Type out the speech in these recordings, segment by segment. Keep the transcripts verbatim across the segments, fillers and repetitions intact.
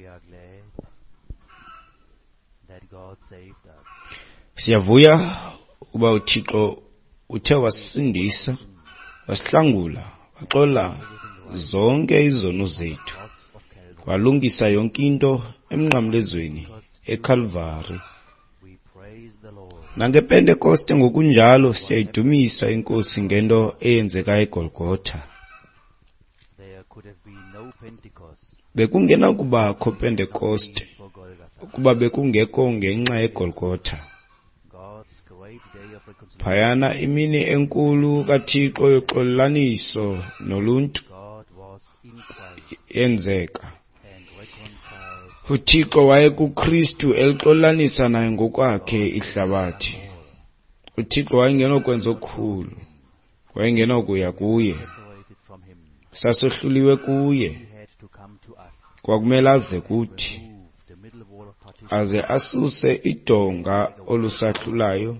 We are glad that God saved us. Siyavuya ukuba uThixo uthe wasisindisa, wasihlangula, waxola zonke izono zethu, Cross of Calvary. walungisa yonke into emnqamlezweni eKalvari. We praise the Lord. NangePentekoste ngokunjalo siyayidumisa iNkosi ngento eyenzeka eGolgotha. There could have been no Pentecost Bekungenakubakho Pentekoste for Golgotha. ukuba bekungekho ngenxa yeGolgotha. God's great day of reconciliation. Phayana imini enkulu kaThixo yoxolelaniso noluntu God was in Christ yenzeka. and reconciled uThixo wayekuKristu elixolelanisa naye ngokwakhe ihlabathi. uThixo wayengenokwenza okukhulu, wayengenokuya kuye, separated from him. sasohluliwe kuye. He had to come to us, Kwakumele aze kuthi, remove the middle wall of partition, aze asuse idonga olusahlulayo,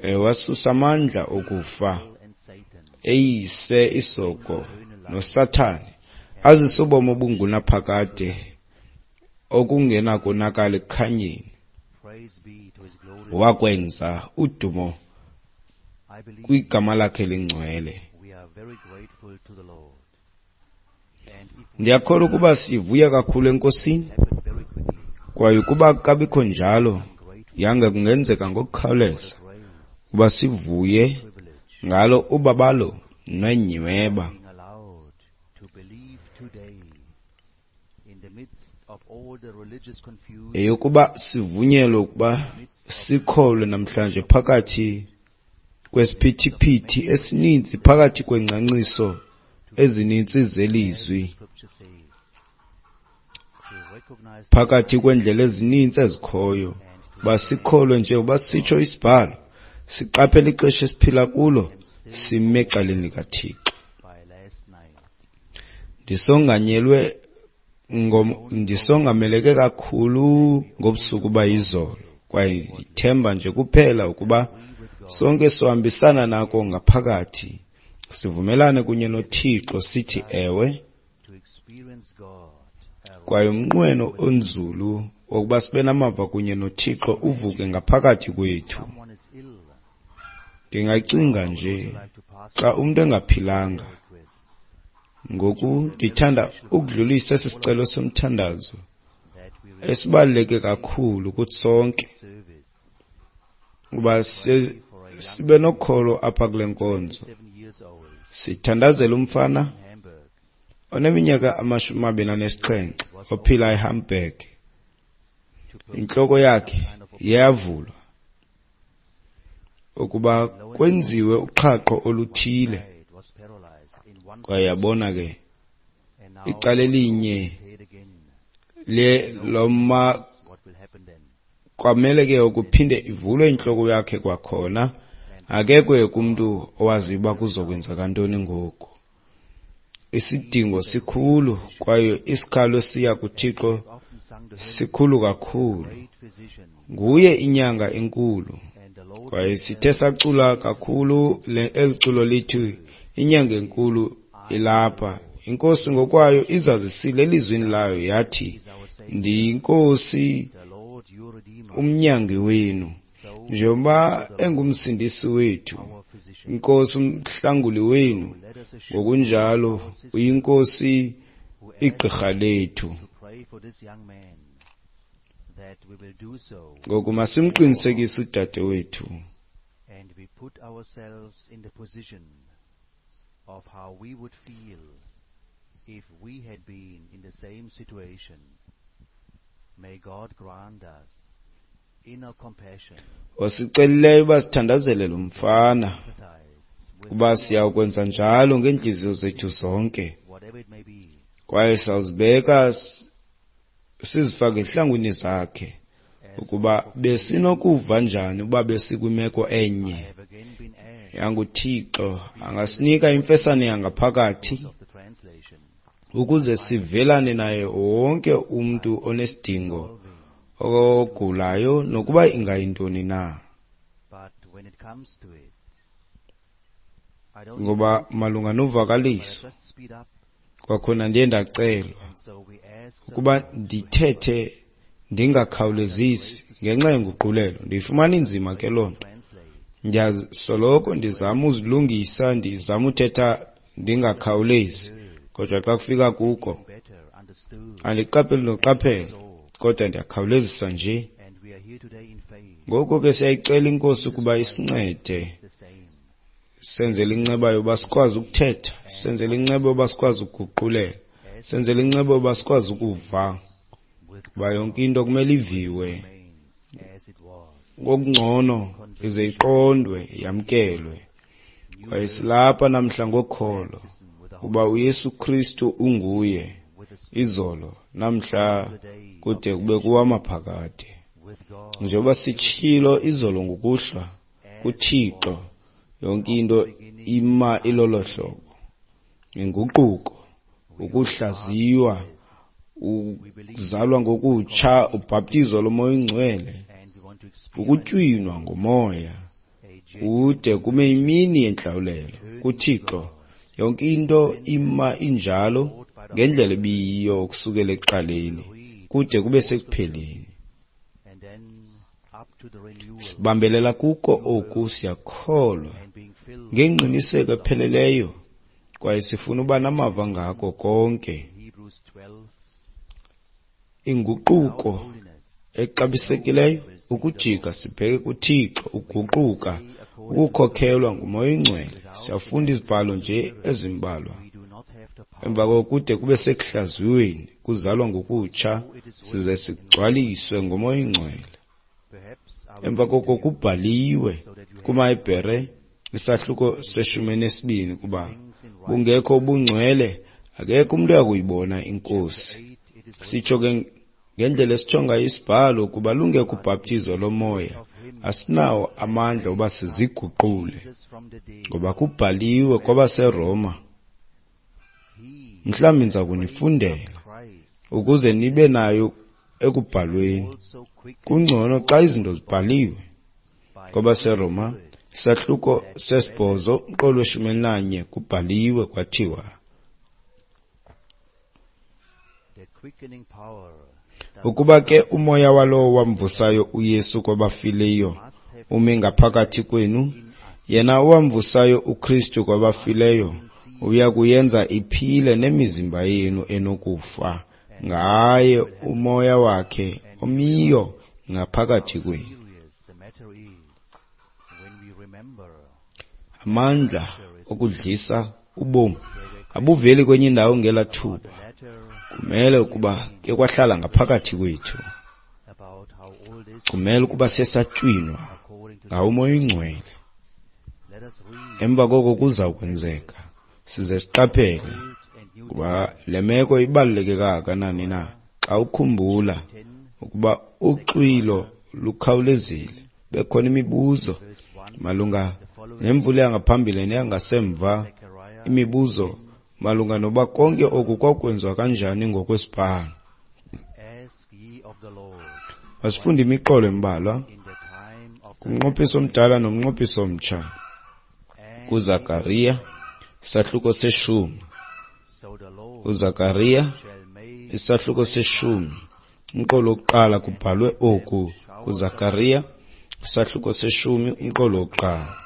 eh, wasusa amandla okufa, and Satan, eyise isoko noSathane, azise ubomi obungunaphakade okungenakonakala ekukhanyeni. Praise be to his glorious. Wakwenza udumo I believe kwigama lakhe lingcwele. we are very grateful to the Lord. And if we Ndiyakholwa ukuba sivuya kakhulu eNkosini, happen very quickly, kwaye ukuba kabikho njalo, I'm grateful yange kungenzeka ngokukhawuleza for grace, ukuba sivuye privilege, ngalo ubabalo nenyweba being allowed to believe today in the midst of all the religious confusion, eyokuba sivunyelwe ukuba sikholwe namhlanje phakathi kwesiphithiphithi esininzi, phakathi kwengcaciso ezininzi zelizwi, Scripture says, to recognize phakathi kweendlela ezininzi ezikhoyo, uba sikholwe njengoba sitsho isibhalo, siqaphele ixesha esiphila kulo, sime ecaleni likaThixo. by last night. Ndisonganyelwe ngom- ndisongameleke kakhulu ngobusuku bayizolo, kwaye ndithemba nje kuphela ukuba sonke sohambisana nako ngaphakathi, sivumelane kunye noThixo sithi ewe, To experience God kwaye umnqweno onzulu wokuba sibe namava kunye noThixo uvuke ngaphakathi kwethu. Someone is ill. Ndingacinga nje Like to pass xa umntu engaphilanga. request Ngoku ndithanda ukudlulisa esi sicelo somthandazo that we esibaluleke kakhulu kuthi sonke, service. ukuba si- sibe nokholo apha kule nkonzo. Seven years old Sithandazela umfana in Hamburg oneminyaka amashumi amabini anesixhenxe ophila eHamburg. to perform Intloko yakhe iyavulwa ukuba kwenziwe uqhaqho oluthile, side was paralyzed in one kwaye yabona ke and now icala elinye his head again. le loma What will happen then? kwamele ke ukuphinde ivulwe intloko yakhe kwakhona. Akekho kumntu owaziyo uba kuzokwenzeka ntoni ngoku. Isidingo sikhulu kwaye isikhalo esiya kuThixo Often sung the hymn, sikhulu kakhulu. great physician, Nguye inyanga enkulu, and the Lord kwaye sithe sacula kakhulu le eli culo lithi inyanga enkulu ilapha. Inkosi ngokwayo izazisile elizwini layo yathi, is our Savior, ndiyinkosi the Lord your Redeemer. umnyangi wenu. So Njengoba engumsindisi wethu, our physician. inkosi umhlanguli wenu, Let us assure ngokunjalo uyinkosi who igqirha lethu. to pray for this young man that we will do so, Ngoku masimqinisekise udade wethu and we put ourselves in the position of how we would feel if we had been in the same situation. May God grant us inner compassion, osicelileyo uba sithandazele lo mfana, empathize with kuba siyawukwenza njalo ngeentliziyo zethu zonke, whatever it may be, kwaye sawuzibeka s- sizifake ezihlangwini zakhe ukuba besinokuva njani uba besikwimeko enye. I have again been asked YanguThixo angasinika imfesane yangaphakathi of the translation, ukuze sivelane naye wonke umntu onesidingo ogulayo nokuba ingayintoni na. but when it comes to it, I don't Ngoba malunga but I novakaliso just speed up Kwakhona ndiye ndacelwa ukuba ndithethe ndingakhawulezisi ngenxa yenguqulelo. Ndiyifumana inzima ke loo nto. Ndiyasoloko ndizama uzilungisa, ndizama uthetha ndingakhawulezi, kodwa xa kufika kuko andiqapheli noqaphela, kodwa ndiyakhawulezisa nje. Ngoko ke siyayicela iNkosi ukuba isincede, senzele inceba yoba sikwazi ukuthetha, senzele inceba yoba sikwazi ukuguqulela, senzele inceba yoba sikwazi ukuva, kuba yonke into kumele iviwe ngokungcono ize iqondwe, yamkelwe. Kwaye silapha namhla ngokholo uba uYesu Kristu unguye izolo, namhla, kude kube kuwamaphakade. Njengoba sitshilo izolo ngokuhlwa, kuThixo yonke into ima ilolo hlobo. Inguquko, ukuhlaziywa, ukuzalwa ngokutsha, ubhaptizo loMoya oyiNgcwele, ukutywinwa ngomoya, kude kume imini yentlawulelo. KuThixo yonke into ima injalo ngendlela ebiyiyo ukusukela ekuqaleni kude kube sekupheleni. Sibambelela kuko oku, siyakholwa ngengqiniseko epheleleyo, kwaye sifuna uba namava ngako konke. Inguquko exabisekileyo, ukujika sibheke kuThixo, ukuguquka, ukukhokhelwa nguMoya oyiNgcwele. Siyafunda izibhalo nje ezimbalwa. Emva koko kude kube sekuhlaziyweni, kuzalwa ngokutsha, size sigcwaliswe ngoMoya oyiNgcwele. Emva koko kubhaliwe kumaHebhere isahluko seshumi nesibini kuba bungekho ubungcwele, akekho umntu oyakuyibona iNkosi. Sitsho ke ngendlela esitsho ngayo isibhalo, kuba lungekho ubhaptizo lomoya, asinawo amandla oba siziguqule, ngoba kubhaliwe kwabaseRoma. Mhlawumbi ndiza kunifundela ukuze nibe nayo ekubhalweni. Kungcono xa izinto zibhaliwe. KwabaseRoma isahluko sesibhozo umqolo weshumi elinanye kubhaliwe kwathiwa, ukuba ke umoya walowo wamvusayo uYesu kwabafileyo umi ngaphakathi kwenu, yena owamvusayo uKristu kwabafileyo uya kuyenza iphile nemizimba yenu enokufa ngaye umoya wakhe omiyo ngaphakathi kwenu. Amandla okudlisa ubomi abuveli kwenye indawo ngela thuba. Kumele ukuba ke kwahlala ngaphakathi kwethu. Kumele ukuba sesatywinwa ngawo uMoya oyiNgcwele. Emva koko kuza kwenzeka size siqaphele kuba le meko ibaluleke kangakanani na xa ukhumbula ukuba uxwilo lukhawulezile. Bekhona imibuzo malunga nemvula yangaphambili neyangasemva, imibuzo malunga noba konke oku kwakwenziwa kanjani ngokwesibhalo. Masifunde imiqolo embalwa kumnqophiso omdala nomnqophiso omtsha. KuZakariya isahluko seshumi. UZakariya isahluko seshumi umqolo wokuqala kubhalwe oku. KuZakariya isahluko seshumi umqolo wokuqala.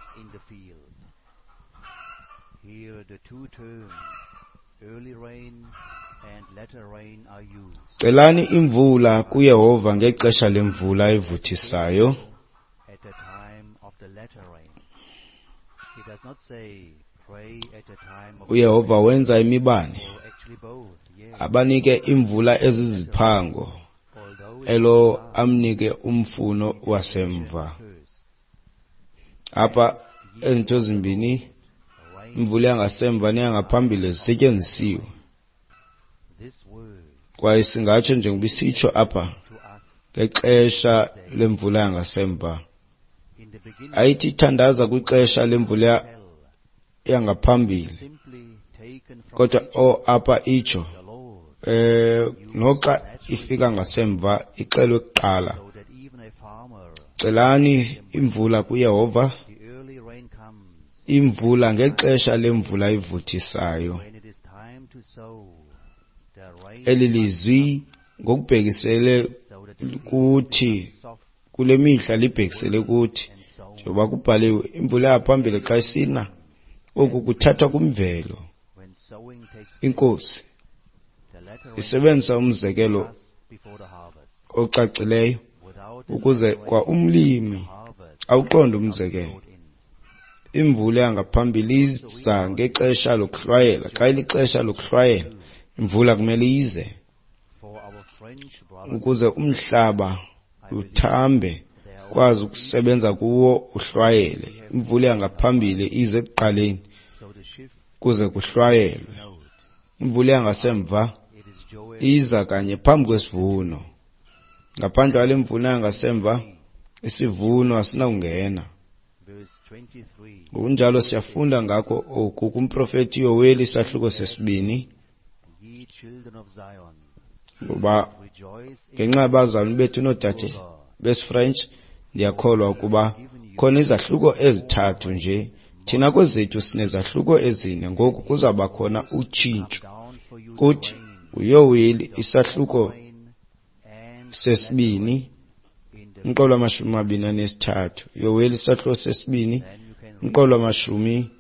Celani imvula kuYehova ngexesha lemvula evuthisayo. uYehova wenza imibane, abanike imvula eziziphango, elo amnike umfuno wasemva. Apha ezinto zimbini, imvula yangasemva neyangaphambili, zisetyenzisiwe. Kwaye singatsho njengoba isitsho apha ngexesha lemvula yangasemva. Ayithi thandaza kwixesha lemvula yangaphambili, kodwa o apha itsho eh noxa ifika ngasemva ixelwe kuqala. Celani imvula kuYehova, imvula ngexesha lemvula ivuthisayo. Eli lizwi ngokubhekisele kuthi kule mihla libhekisele kuthi, njengoba kubhaliwe, imvula yaphambili xa isina, oku kuthathwa kwimvelo. Inkosi isebenzisa umzekelo ocacileyo ukuze kwa umlimi awuqonde umzekelo. Imvula yangaphambili iza ngexesha lokuhlwayela. Xa ilixesha lokuhlwayela, imvula kumele ize ukuze umhlaba uthambe, ukwazi ukusebenza kuwo uhlwayele. Imvula yangaphambili ize ekuqaleni kuze kuhlwayelwe. Imvula yangasemva iza kanye phambi kwesivuno. Ngaphandle kwale mvula yangasemva, isivuno asinakungena. Ngokunjalo siyafunda ngakho oku kumprofeti Yoweli isahluko sesibini, ngoba ngenxa yabazalwane bethu noodade besiFrench, ndiyakholwa ukuba khona izahluko ezithathu nje. Thina kwezethu sinezahluko ezine, ngoku kuzawuba khona utshintsho. Kuthi uYoweli isahluko sesibini, umqolo wamashumi amabini anesithathu. Yoweli isahluko sesibini, umqolo wamashumi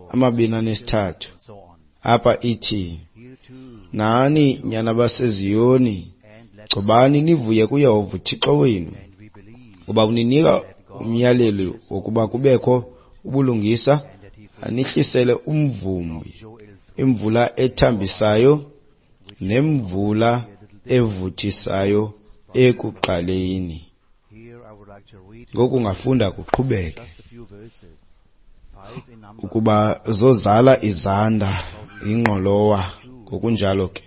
amabini anesithathu. Apha ithi, nani nyana baseZiyoni, gcobani nivuye kuYehova uThixo wenu, ngoba uninika umyalelo wokuba kubekho ubulungisa, anihlisele umvumbi imvula ethambisayo nemvula evuthisayo ekuqaleni. Ngoku ungafunda kuqhubeke ukuba zozala izanda ingqolowa. Ngokunjalo ke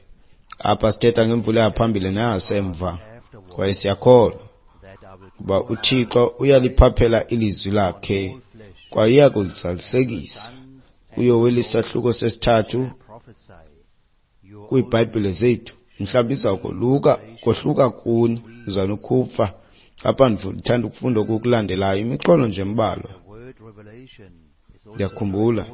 apha sithetha ngemvula yaphambili neyasemva, kwaye siyakholwa ukuba uThixo uyaliphaphela ilizwi lakhe kwaye uyakulizalisekisa. KuYoweli isahluko sesithathu kwiiBhayibhile zethu, mhlawumbi iza koluka kohluka kuni, uzanokhupha apha. Ndithanda ukufunda oku kulandelayo, imiqolo nje embalwa. Ndiyakhumbula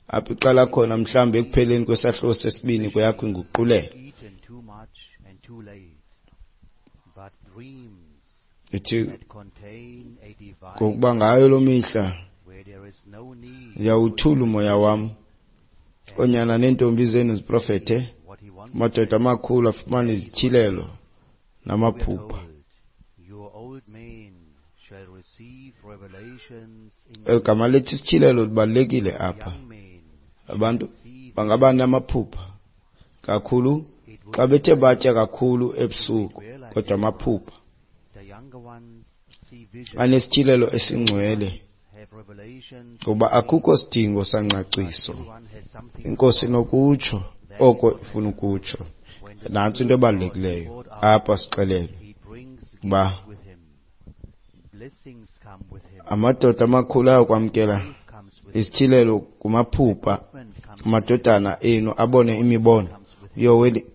apho iqala khona, mhlawumbi ekupheleni kwesahluko sesibini kweyakho inguqulelo. Ithi, ngokuba ngayo loo mihla ndiyawuthula umoya wam, oonyana neentombi zenu ziprofethe, amadoda amakhulu afumane izityhilelo namaphupha. Eli gama lithi isityhilelo libalulekile apha. Abantu bangaba namaphupha kakhulu xa bethe batya kakhulu ebusuku, kodwa amaphupha anesityhilelo esingcwele, ngoba akukho sidingo sangcaciso. Inkosi inokutsho oko ifuna ukutsho. Nantsi into ebalulekileyo apha, sixelelwe uba amadoda amakhulu ayakwamkela isityhilelo kumaphupha, amadodana enu abone imibono. Yoweli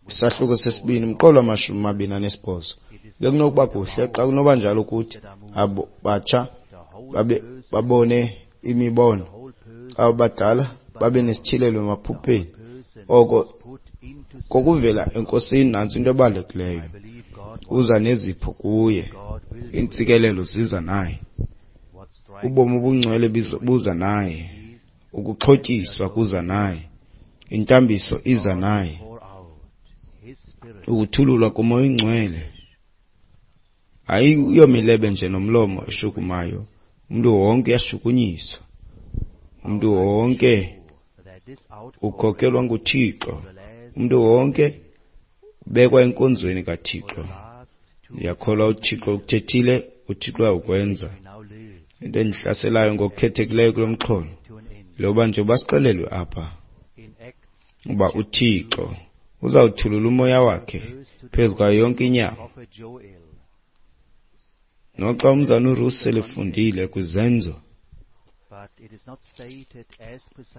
isahluko sesibini, umqolo wamashumi amabini anesibhozo. Bekunokuba kuhle xa kunoba njalo kuthi abo batsha babe babone imibono, abo badala babe nesityhilelo emaphupheni. Oko kokuvela enkosini. Nantsi into ebalulekileyo, uza nezipho kuye, iintsikelelo ziza naye, ubomi obungcwele buza naye, ukuxhotyiswa kuza naye, intambiso iza naye, ukuthululwa komoya oyingcwele. Ayiyomilebe nje nomlomo eshukumayo, umntu wonke uyashukunyiswa, umntu wonke ukhokelwa nguThixo, umntu wonke ubekwa enkonzweni kaThixo. Ndiyakholwa uThixo ukuthethile, uThixo uyawukwenza. Into endihlaselayo ngokukhethekileyo kulo mxholo loba nje basixelelwe apha uba uThixo uzawuthulula umoya wakhe phezu kwayo yonke inyama. Noxa umzana uRussell efundile kwizenzo,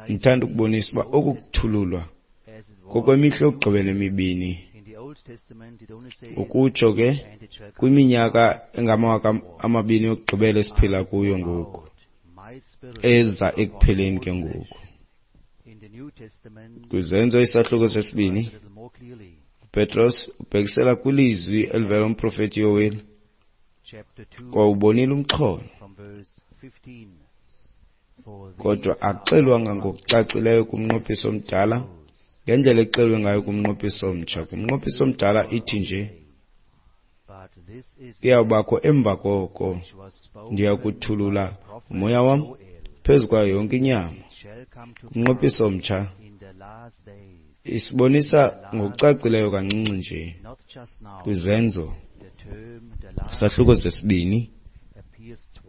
ndithanda ukubonisa uba oku kuthululwa kokwemihla yokugqibela emibini, ukutsho ke kwiminyaka engamawaka amabini yokugqibela esiphila kuyo ngoku, eza ekupheleni ke ngoku. Kwizenzo isahluko sesibini, uPetros ubhekisela kwilizwi elivela kumprofeti Yoweli. Kwawubonile umxholo, kodwa akuxelwanga ngokucacileyo kumnqophiso omdala ngendlela exelwe ngayo kumnqophiso omtsha. Kumnqophiso omdala ithi nje, iyawubakho emva koko ndiya kuthulula umoya wam phezu kwayo yonke inyama. Kumnqophiso omtsha isibonisa ngokucacileyo kancinci nje kwizenzo isahluko sesibini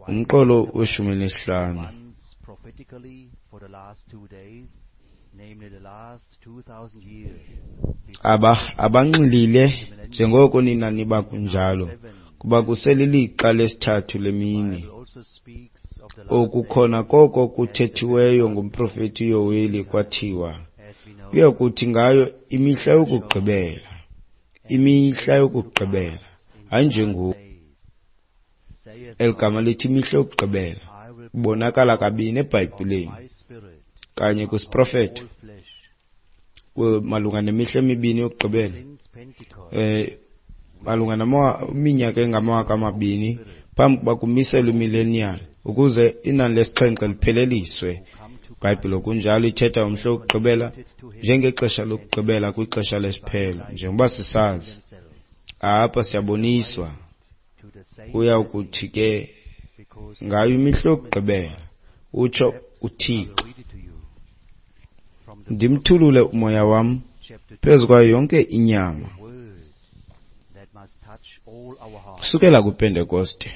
umqolo weshumi elinesihlanu. Aba abanxilile njengoko nina niba kunjalo, kuba kuselilixa lesithathu lemini. Oku khona koko kuthethiweyo ngumprofeti Yoweli kwathiwa, kuya kuthi ngayo imihla yokugqibela, imihla yokugqibela, hayi njengoku. Eli gama lithi imihla yokugqibela ibonakala kabini eBhayibhileni, kanye kwisiprofeto malunga nemihla emibini yokugqibela, eh malunga neminyaka engamawaka amabini phambi kuba kumiselwe imillennial ukuze inani lesixhenxe lipheleliswe. IBhayibhile kunjalo ithetha umhla wokugqibela njengexesha lokugqibela kwixesha lesiphelo. Njengoba sisazi apha siyaboniswa kuya kuthi ke ngayo imihla yokugqibela, utsho uThixo, ndimthulule umoya wam phezu kwayo yonke inyama. Kusukela kwiPentekoste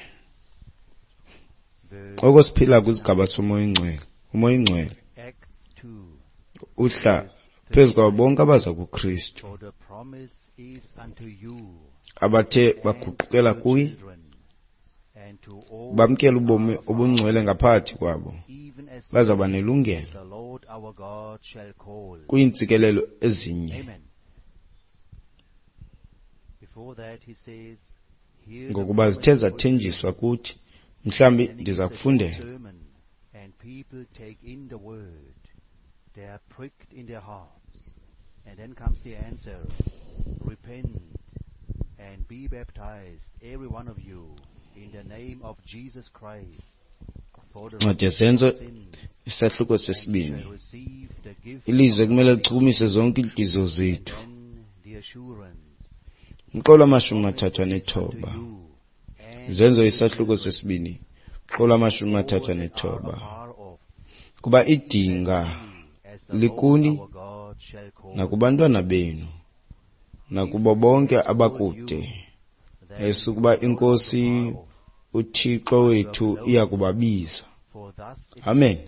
oko siphila kwisigaba somoya oyingcwele. Umoya oyingcwele uhla phezu kwabo bonke abaza kuKristu abathe baguqukela kuye, bamkela ubomi obungcwele ngaphakathi kwabo, bazawuba nelungelo kwiintsikelelo ezinye. Ngokuba zithe zathenjiswa kuthi. Mhlawumbi ndiza kufundela. And be baptized, every one of you, in the name of Jesus Christ, for the Ncwadi yeZenzo isahluko sesibini. Ilizwi ekumele lichukumise zonke iintliziyo zethu. Umqolo wamashumi mathathu anethoba. Zenzo isahluko sesibini, umqolo wamashumi mathathu anethoba. Kuba idinga likuni nakubantwana benu, nakubo bonke abakude, esukuba iNkosi uThixo wethu iya kubabiza. Amen.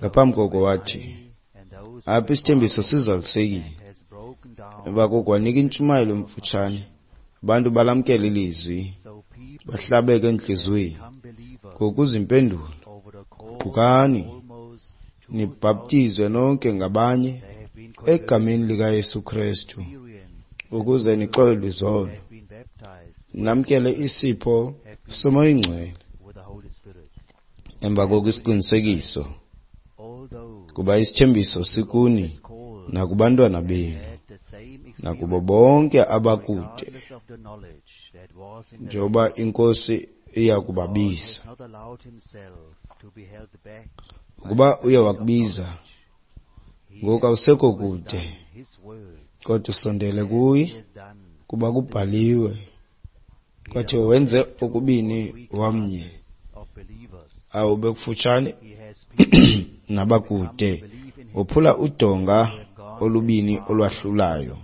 Ngaphambi koko wathi, apha isithembiso sizalisekile. Emva koko wanika intshumayelo emfutshane. Abantu balamkela ilizwi, bahlabeke entliziyweni. Ngokuza impendulo, guqukani, nibhaptizwe nonke ngabanye egameni likaYesu Kristu, ukuze nixolelwe izono, namkele isipho soMoya oyiNgcwele. Emva koko isiqinisekiso, kuba isithembiso sikuni nakubantwana benu, nakubo bonke abakude, njengoba iNkosi iya kubabiza. Ukuba uye wakubiza, ngoku awusekho kude, kodwa usondele kuye, kuba kubhaliwe kwathiwa wenze okubini wamnye, awube kufutshane nabakude, wophula udonga olubini olwahlulayo.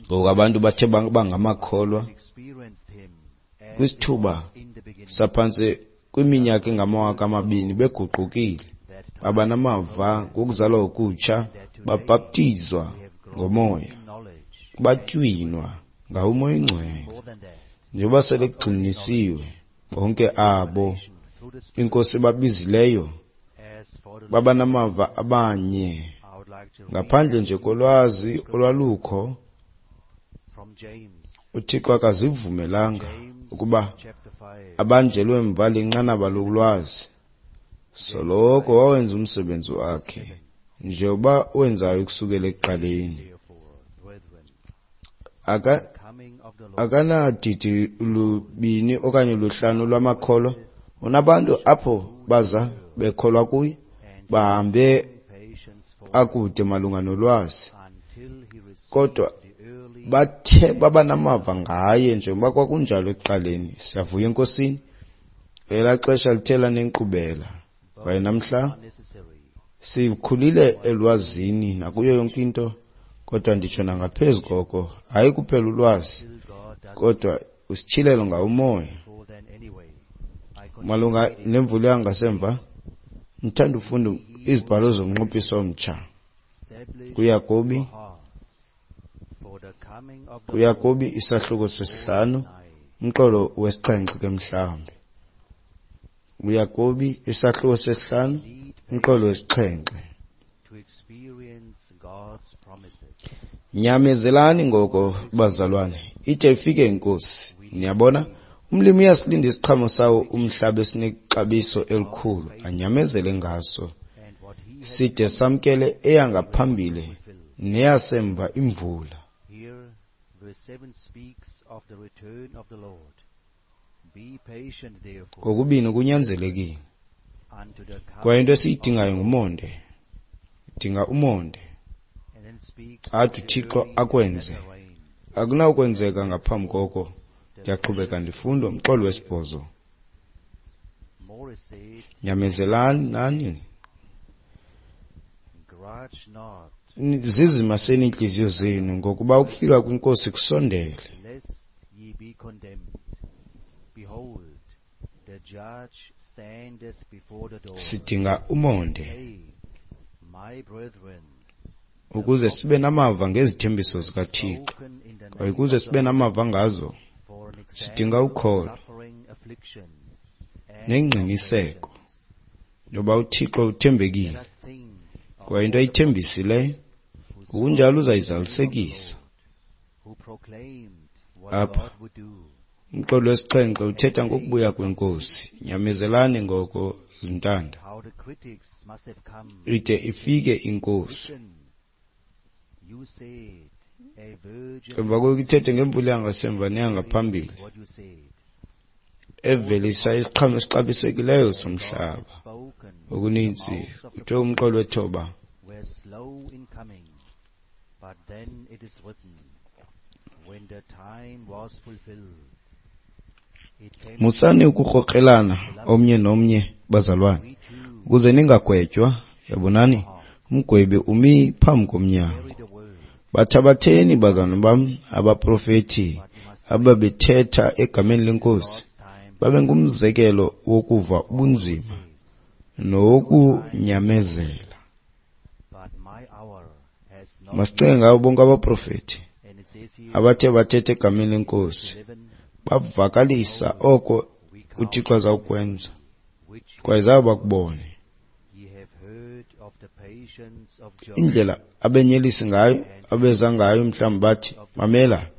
Ngoku abantu bathe bangamakholwa kwisithuba saphantsi kwiminyaka engamawaka amabini beguqukile, baba namava ngokuzalwa okutsha, babhaptizwa ngomoya, batywinwa ngawo uMoya oyiNgcwele. Njengoba sele kugxinisiwe, bonke abo iNkosi babizileyo baba namava abanye, ngaphandle nje kolwazi olwalukho. uThixo akazivumelanga ukuba abanjelwe mva linqanaba lolwazi. Soloko wawenza umsebenzi wakhe njengoba wenzayo ukusukela ekuqaleni. Aka akanadidi lubini okanye luhlanu lwamakholwa. Unabantu apho baza bekholwa kuye, bahambe akude malunga nolwazi, kodwa bathe baba namava ngaye njengoba kwakunjalo ekuqaleni. Siyavuya eNkosini, elaa xesha lithe lanenkqubela, kwaye namhla sikhulile elwazini nakuyo yonke into, kodwa nditsho nangaphezu koko, hayi kuphela ulwazi, kodwa usityhilelo ngawo umoya. Malunga nemvula yangasemva, ndithanda ufunda izibhalo zomnqophiso omtsha kuYakobi, kuYakobi isahluko sesihlanu, umqolo wesixhenxe ke mhlawumbi. UYakobi isahluko sesihlanu, umqolo wesixhenxe. Nyamezelani ngoko, bazalwane, ide ifike iNkosi. Niyabona, umlimi uyasilinda isiqhamo sawo umhlaba esinexabiso elikhulu, anyamezele ngaso, side samkele eyangaphambili neyasemva imvula. Kokubini kunyanzelekile. Kwaye into esiyidingayo ngumonde. Dinga umonde. Athi uThixo akwenze. Akunawukwenzeka ngaphambi koko. Ndiyaqhubeka ndifunda umxholo wesibhozo. Nyamezelani nani. Zizimaseni iintliziyo zenu, ngokuba ukufika kwiNkosi kusondele. Sidinga umonde ukuze sibe namava ngezithembiso zikaThixo, kwaye ukuze sibe namava ngazo sidinga ukholo nengqiniseko yoba uThixo uthembekile, kwaye into ayithembisileyo ngokunjalo uzayizalisekisa. Apha umxholo wesixhenxe uthetha ngokubuya kweNkosi. Nyamezelani ngoko, zintanda, ide ifike iNkosi. Emva koku ithethe ngemvula yangasemva neyangaphambili, evelisa isiqhamo esixabisekileyo somhlaba. Okuninzi kuthiwe umqolo wethoba. Musani ukukrokrelana omnye nomnye, bazalwane, ukuze ningagwetywa. Yabonani, umgwebi umi phambi komnyango. Bathabatheni, bazalwane bam, abaprofeti ababethetha egameni leNkosi, babe ngumzekelo wokuva ubunzima nowokunyamezela. Masicinge ngabo bonke abaprofeti abathe bathetha egameni leNkosi, bavakalisa oko uThixo azawukwenza, kwaye zabe bakubone. Indlela abenyelisi ngayo, abeza ngayo, mhlawumbi bathi, mamela,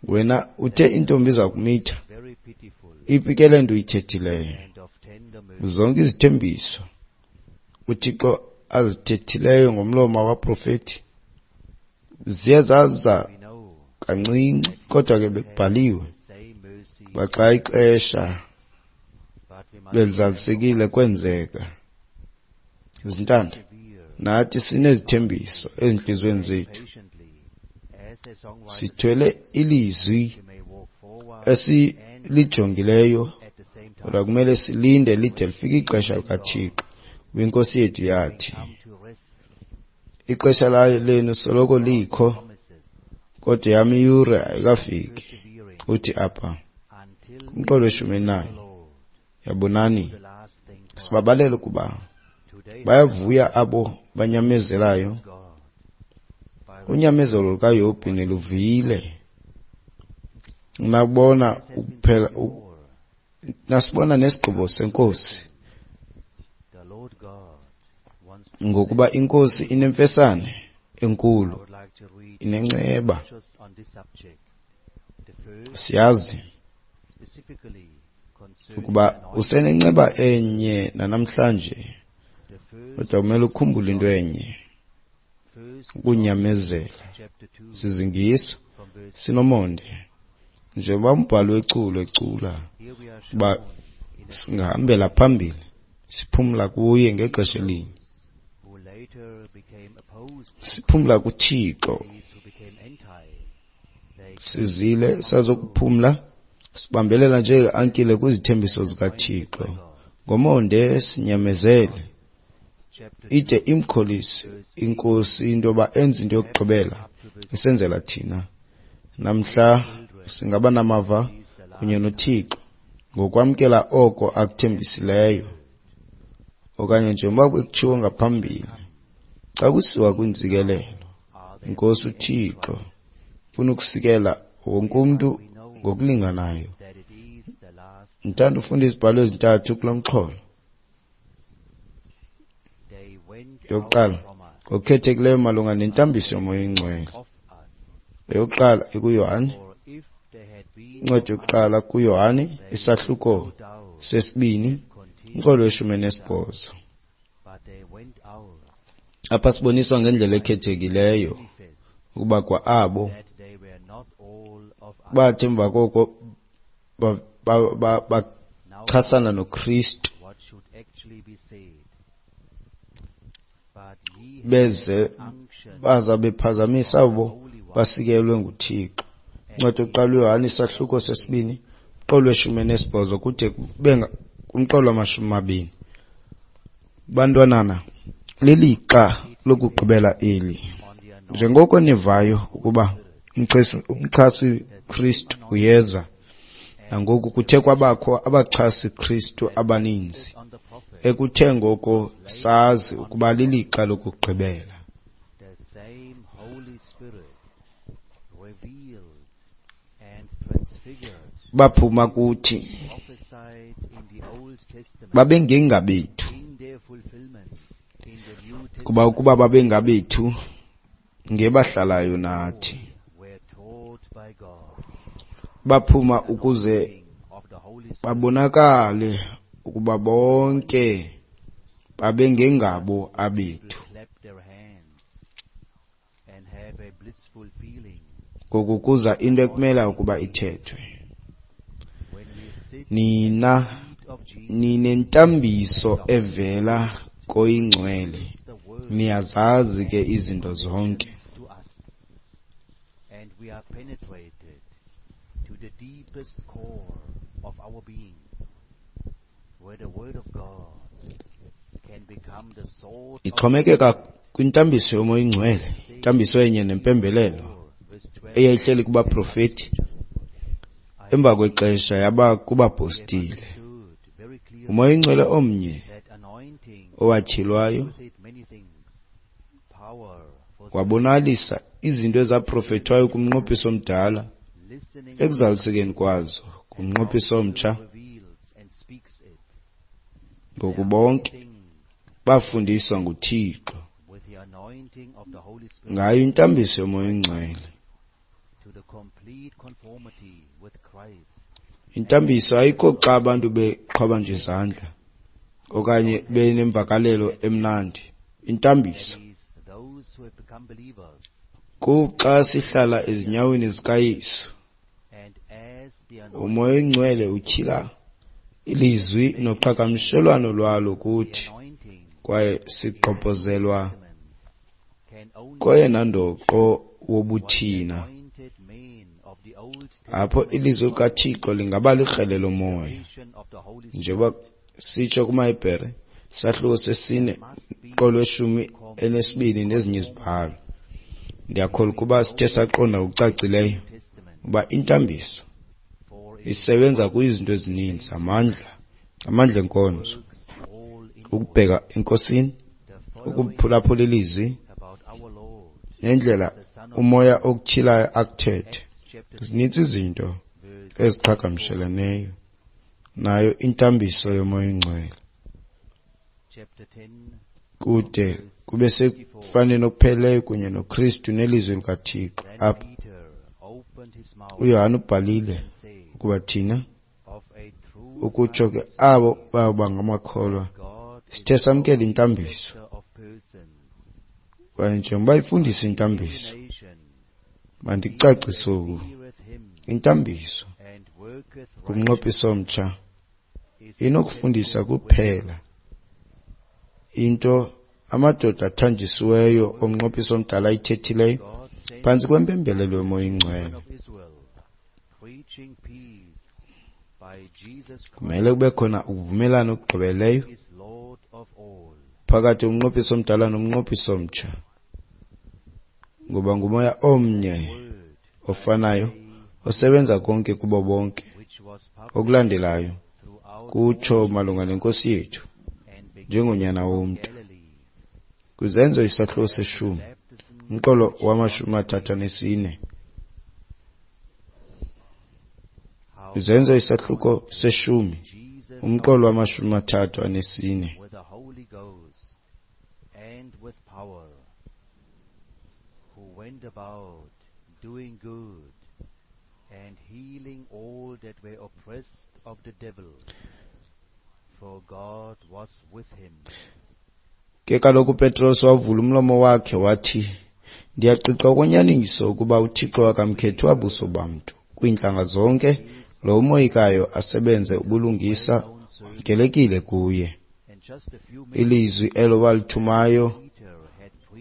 wena uthe intombi iza kumitha, iphi ke le nto uyithethileyo? Zonke izithembiso uThixo azithethileyo ngomlomo wabaprofeti ziye zaza kancinci, kodwa ke bekubhaliwe uba xa ixesha belizalisekile kwenzeka. Zintanda, nathi sinezithembiso ezintliziyweni zethu. Sithwele ilizwi esilijongileyo, kodwa kumele silinde lide lifike ixesha likaThixo. INkosi yethu yathi, ixesha layo lenu soloko likho, kodwa yam iyure ayikafiki. Uthi apha kumqolo weshumi elinanye, yabonani, sibabalele ukuba bayavuya abo banyamezelayo. Unyamezelo lukaYobhi niluvile. Nabona ukuphela, nasibona nesigqibo seNkosi, ngokuba iNkosi inemfesane enkulu, inenceba. Siyazi Ukuba usenenceba enye nanamhlanje, kodwa kumele ukhumbule into enye, ukunyamezela, sizingisa, sinomonde, njengoba umbhali weculo ecula, uba singahambela phambili, siphumla kuye ngexesha elinye. Siphumla kuThixo. Sizile sazokuphumla, sibambelela njengeankile kwizithembiso zikaThixo. Ngomonde sinyamezele, ide imkholise iNkosi into yoba enze into yokugqibela isenzela thina. Namhla singaba namava kunye noThixo ngokwamkela oko akuthembisileyo, okanye njengoba bekutshiwo ngaphambili, xa kusiwa kwintsikelelo, iNkosi uThixo ufuna ukusikela wonke umntu ngokulinganayo. Ndithanda ufunda izibhalo ezintathu kulo mxholo. Yokuqala, ngokukhethekileyo malunga nentambiso yoMoya oyiNgcwele. Eyokuqala ikuYohane, incwadi yokuqala kuYohane, isahluko sesibini, umqolo weshumi nesibhozo. Apha siboniswa ngendlela ekhethekileyo ukuba kwa abo bathi emva koko bachasana noKristu beze baza bephazamisa abo basikelwe nguThixo. Incwadi yokuqala uYohane isahluko sesibini, umqolo weshumi nesibhozo kude kube kumqolo wamashumi mabini. Bantwanana, lilixa lokugqibela eli. Njengoko nivayo ukuba umchasi Kristu uyeza, nangoku kuthe kwabakho abachasi Kristu abaninzi, ekuthe ngoko sazi ukuba lilixa lokugqibela. Baphuma kuthi, babengengabethu, kuba ukuba babengabethu, ngebahlalayo nathi. Baphuma ukuze babonakale ukuba bonke babengengabo abethu. Ngoku kuza into ekumele ukuba ithethwe. Nina ninentambiso evela koyiNgcwele, niyazazi ke izinto zonke. To the deepest core of our being, where the word of God can become the sword. Ixhomekeka kwintambiso yoMoya oyiNgcwele, intambiso enye nempembelelo eyayihleli kubaprofeti, emva kwexesha yaba kubapostile. UMoya oyiNgcwele omnye owatyhilwayo wabonalisa izinto ezaprofethwayo kumnqophiso omdala, ekuzalisekeni kwazo kumnqophiso omtsha. Ngoku bonke bafundiswa nguThixo ngayo intambiso yoMoya oyiNgcwele. Intambiso ayikho xa abantu beqhwaba nje izandla okanye benemvakalelo emnandi. Intambiso kuxa sihlala ezinyaweni zikaYesu. UMoya oyiNgcwele utyhila ilizwi noqhagamshelwano lwalo kuthi, kwaye sigqobhozelwa koyena ndoqo wobuthina, apho ilizwi likaThixo lingaba likrele lomoya. Njengoba sitsho kumaHebhere isahluko sesine umqolo weshumi elinesibini nezinye izibhalo. Ndiyakholwa ukuba sithe saqonda ngokucacileyo uba intambiso isebenza kwizinto ezininzi, amandla, amandla enkonzo, ukubheka eNkosini, ukuphulaphula ilizwi, nendlela umoya okutyhilayo akuthethe. Zinintsi izinto eziqhagamsheleneyo nayo intambiso yoMoya oyiNgcwele, kude kube sekufaneni okupheleleyo kunye noKristu nelizwi likaThixo. Apha uYohane ubhalile ukuba thina Ukutsho ke abo baba ngamakholwa sithe samkela intambiso. Kwaye njengoba ifundisa intambiso, mandicacise oku. Intambiso kumnqophiso omtsha inokufundisa kuphela into amadoda athanjisiweyo omnqophiso omdala ayithethileyo phantsi kwempembelelo yoMoya oyiNgcwele. Kumele kube khona ukuvumelana okugqibeleleyo phakathi komnqophiso omdala nomnqophiso omtsha, ngoba ngumoya omnye ofanayo osebenza konke kubo bonke. Okulandelayo kutsho malunga nenkosi yethu njengonyana womntu. Kwizenzo isahluko seshumi, umqolo wamashumi athathu anesine. Izenzo isahluko seshumi, umqolo wamashumi athathu anesine. Doing good and healing all that were oppressed of the devil, for God was with him. Ke kaloku uPetros wavula umlomo wakhe wathi, ndiyaqiqa okwenyaniso ukuba uThixo akamkhethi wabuso bamntu. Kwiintlanga zonke lo umoyikayo asebenze ubulungisa wamkelekile kuye. Ilizwi elo walithumayo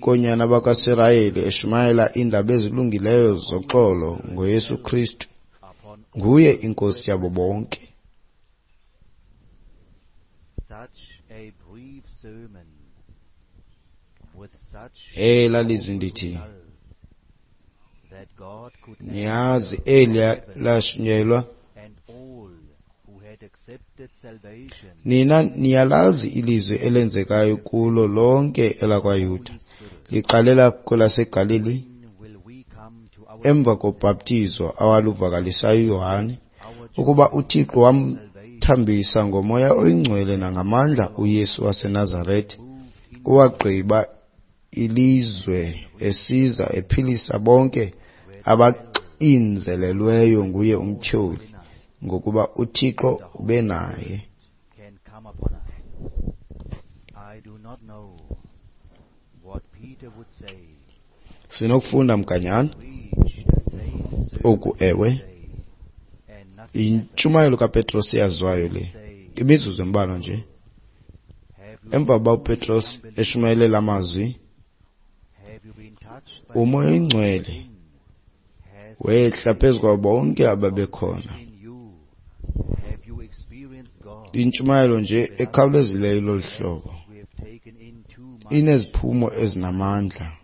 koonyana bakaSirayeli eshumayela iindaba ezilungileyo zoxolo ngoYesu Kristu, nguye inkosi yabo bonke. Elaa lizwi ndithi, niyazi eliya lashunyayelwa. Nina niyalazi ilizwi elenzekayo kulo lonke elakwaYuda, liqalela kwelaseGalili, emva kobhaptizo awaluvakalisayo uYohane, ukuba uThixo wamthambisa ngoMoya oyiNgcwele nangamandla uYesu waseNazarete, owagqiba ilizwe esiza ephilisa bonke abaxinzelelweyo nguye umtyholi, ngokuba uThixo ube naye. Sinokufunda mganyana oku, ewe, intshumayelo kaPetros eyaziwayo le, imizuzu embalwa nje. Emva kokuba uPetros eshumayele amazwi, uMoya oyiNgcwele wehla phezu kwabo bonke ababekhona. Intshumayelo nje ekhawulezileyo lolu hlobo ineziphumo ezinamandla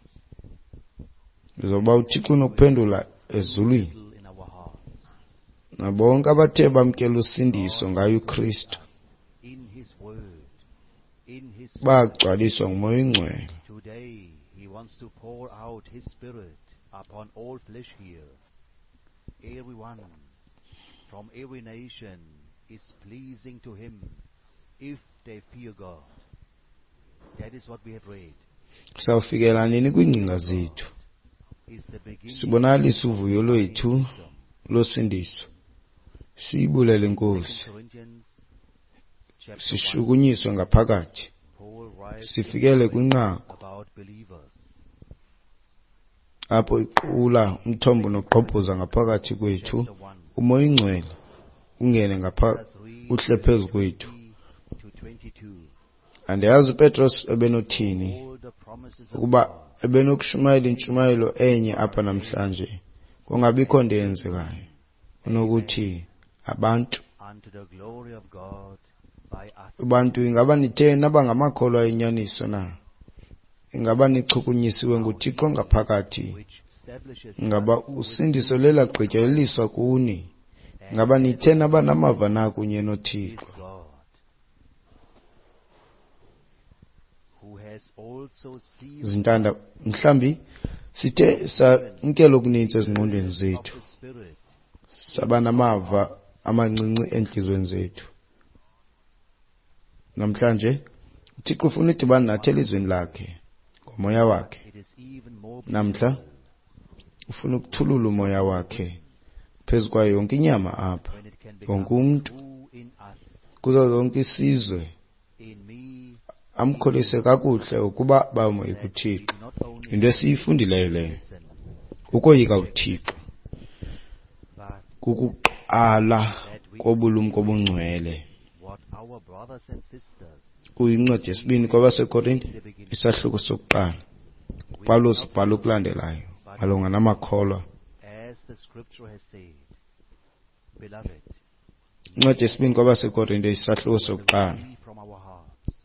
zoba uThixo unokuphendula ezulwini nabonke abathe bamkela usindiso ngaye uKristu bagcwaliswa nguMoya oyiNgcwele. Today he wants to pour out his spirit upon all flesh here. Everyone from every nation is pleasing to him if they fear God. That is what we have read. Sawufikela nini kwiingcinga zethu? Sibonakalisa uvuyo lwethu losindiso. Siyibulele iNkosi. Sishukunyiswe ngaphakathi. Sifikele kwinqaku apho iqula umthombo nogqobhoza ngaphakathi kwethu, uMoya oyiNgcwele ungene ngapha uhle phezu kwethu. Andiyazi uPetros ebenothini ukuba ebenokushumayela intshumayelo enye apha namhlanje, kungabikho nto eyenzekayo. Unokuthi abantu Bantu, ingaba nithe naba ngamakholwa enyaniso na? Ingaba nichukunyisiwe nguThixo ngaphakathi? Ingaba usindiso lelagqityelelwiswa kuni? Ingaba nithe naba namava na kunye noThixo? Zintanda, mhlambi sithe samkela okuninzi ezingqondweni zethu, saba namava amancinci entliziyweni zethu. Namhlanje uThixo ufuna udibana nathi elizweni lakhe ngomoya wakhe. Namhla ufuna ukuthulula umoya wakhe phezu kwayo yonke inyama apha, wonke umntu. Kuzo zonke isizwe In me amkholise kakuhle ukuba bamoyika that we uThixo. do not only Yinto esiyifundileyo leyo. listen, Ukoyika uThixo but kukuqala that we kobulumko obungcwele. what our brothers and sisters Kuyincwadi yesibini kwabaseKorinte in the beginning. isahluko sokuqala. We uPawulos not ubhala okulandelayo malunga namakholwa. as the scripture has said, beloved, Incwadi yesibini kwabaseKorinte isahluko sokuqala. free from our hearts,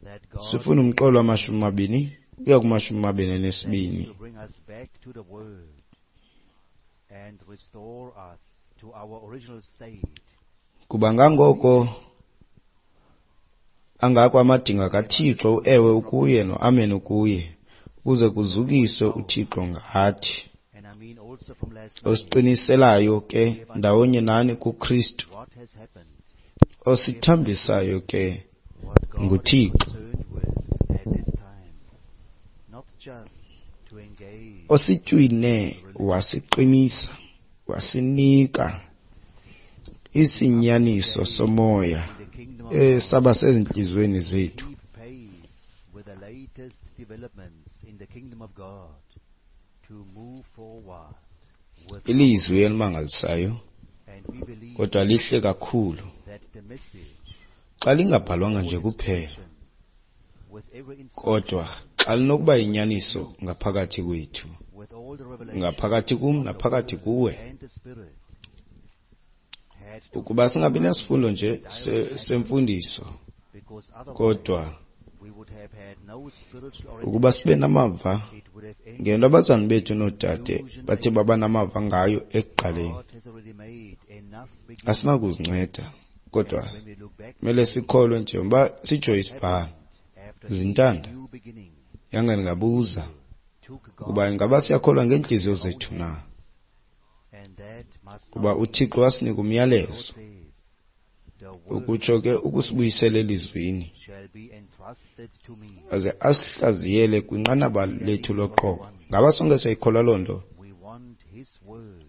that God Sifuna umqolo wamashumi mabini ukuya kumashumi mabini that is anesibini. to bring us back to the word and restore us to our original state. Kuba ngangoko angako amadinga kaThixo uewe ukuye noamen ukuye ukuze kuzukiswe uThixo ngathi. And I mean also from last night, Osiqiniselayo ke ndawonye nani kuKristu, what has happened, osithambisayo ke what God is nguThixo. concerned with at this time, not just to engage Ositywine wasiqinisa wasinika isinyaniso somoya in the kingdom of God, esaba sezintliziyweni zethu. keep pace with the latest developments in the kingdom of God, to move forward with Ilizwi elimangalisayo and we believe kodwa lihle kakhulu that the message xa lingabhalwanga all nje kuphela, instructions, with every instruction, kodwa xa linokuba yinyaniso ngaphakathi kwethu, with all the revelations ngaphakathi kum of the naphakathi Word kuwe. and the Spirit, had to Ukuba singabi nasifundo nje se- semfundiso, because otherwise kodwa we would have had no spiritual ukuba sibe orientation. namava It would have ended. ngento abazali bethu noodade bathe baba namava ngayo ekuqaleni, God has already made enough beginnings. asinakuzinceda, kodwa And when we look back kumele sikholwe njengoba sitsho isibhalo. after each Zintanda, new beginning, yange ndingabuza took God ukuba ingaba siyakholwa ngeentliziyo zethu na, and that must kuba not be. uThixo wasinika umyalezo, God says, the word ukutsho ke ukusibuyisela elizwini, shall be entrusted to me. aze asihlaziyele kwinqanaba lethu loqobo. Ngaba sonke siyayikholwa loo nto? We want His word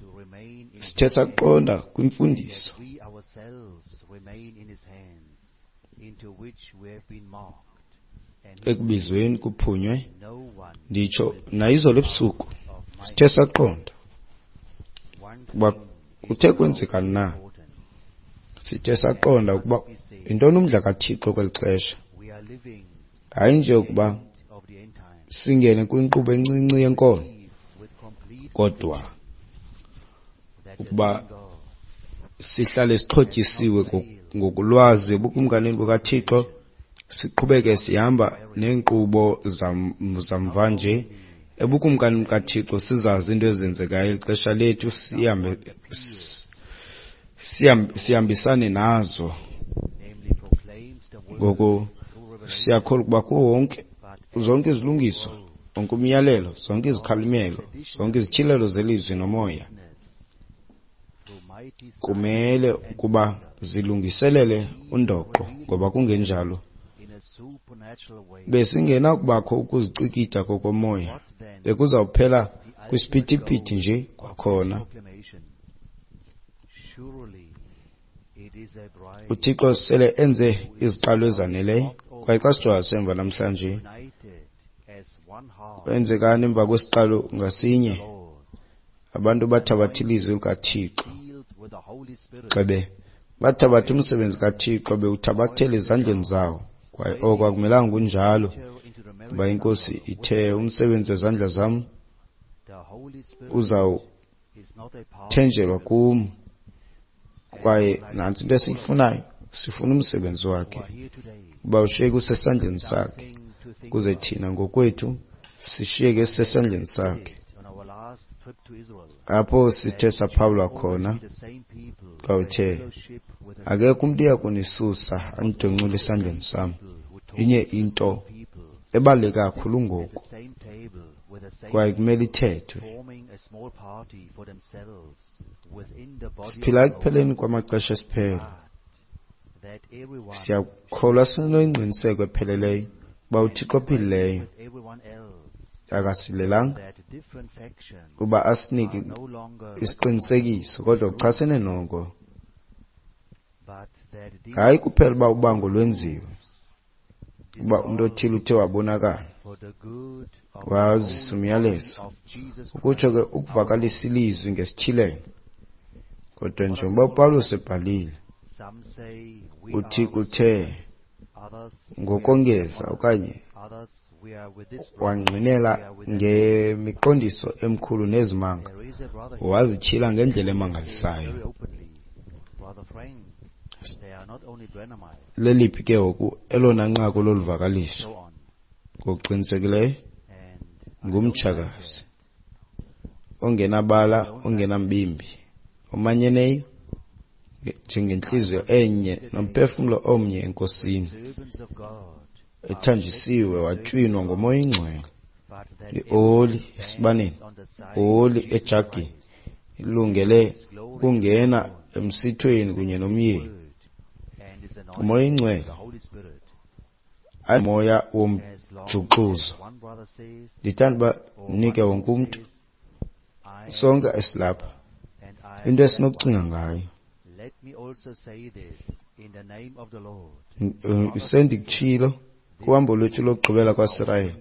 to remain in Sithe His hands, saqonda kwimfundiso that we ourselves remain in His hands, into which we have been marked. And He said, ekubizweni kuphunywe, no one nditsho nayizolo ebusuku, of my sithe saqonda one ukuba thing is kuthe now kwenzeka na, important. sithe saqonda ukuba yintoni umdla kaThixo kweli xesha. We are living Hayi nje ukuba end of the end times. singene kwinkqubo encinci yenkolo, Believe with complete kodwa that the ukuba living God sihlale sixhotyisiwe ngoku- ngokulwazi ebukumkanini bukaThixo, siqhubeke sihamba neenkqubo zam- zamva nje ebukumkanini bukaThixo, sizazi into ezenzekayo eli xesha lethu, sihambe s- siham- sihambisane nazo. namely proclaimed the word Ngoku through revelation, siyakholwa ukuba kuwo wonke but zonke izilungiso, wonke umyalelo, zonke izikhalimelo, zonke izityhilelo zelizwi nomoya through mighty signs kumele ukuba zilungiselele undoqo, ngoba kungenjalo in a supernatural way. besingenakubakho ukuzicikida kokomoya, What then bekuzawuphela is the ultimate kwisiphithiphithi goal nje of this kwakhona. proclamation? Surely it is a bride uThixo sele enze iziqalo ezaneleyo, kwaye xa sijonga semva namhlanje, united as one heart kwenzekani emva kwesiqalo ngasinye? Lord, Abantu bathabatha ilizwi likaThixo, sealed with the Holy Spirit, gxebe bathabatha umsebenzi kaThixo bewuthabathela ezandleni zawo, kwaye oko akumelanga kunjalo, enter into the kuba marriage iNkosi supper with ithe umsebenzi wezandla zam the Holy Spirit is not a part uzawuthenjelwa kum. Kwaye nantsi into esiyifunayo, sifuna umsebenzi wakhe who are here today. uba ushiyeke usesandleni sakhe, Something to think kuze about. thina ngokwethu sishiyeke sisesandleni sakhe. On our last trip to Israel, Apho sithe saphawulwa khona be the same people xa uthe fellowship with the akekho umntu uya kunisusa andidoncule esandleni sam. people who taught Inye into people ebaluleke kakhulu at ngoku the same table with the same kwaye kumele ithethwe. forming a small party for themselves within the body Siphila of the ekupheleni kwamaxesha esiphelo. Lord, that everyone Siyakholwa sinengqiniseko epheleleyo uba uThixo ophilileyo with everyone else akasilelanga that different factions uba asinike are no longer isiqinisekiso, kodwa kuchasene noko Hayi kuphela uba ubango lwenziwe, uba umntu othile uthe wabonakala, wazisa umyalezo, ukutsho ke ukuvakalisa ilizwi ngesityhilelo. Kodwa njengoba uPawulos ebhalile, uThixo uthe ngokongeza okanye wangqinela ngemiqondiso emkhulu nezimanga, wazityhila ngendlela emangalisayo. Leliphi ke ngoku elona nqaku loluvakaliso? Ngokuqinisekileyo ngumtshakazi ongenabala, ongenambimbi, omanyeneyo njengentliziyo enye nomphefumlo omnye eNkosini, ethanjisiwe watywinwa ngoMoya oyiNgcwele, ioli esibaneni, oli ejagini, ilungele ukungena emsithweni kunye nomyeni. UMoya oyiNgcwele ayimoya womjuxuzo. Ndithanda uba ndinike wonke umntu, sonke esilapha, into esinokucinga ngayo. Sendikutshilo kuhambo lwethu lokugqibela kwaSirayeli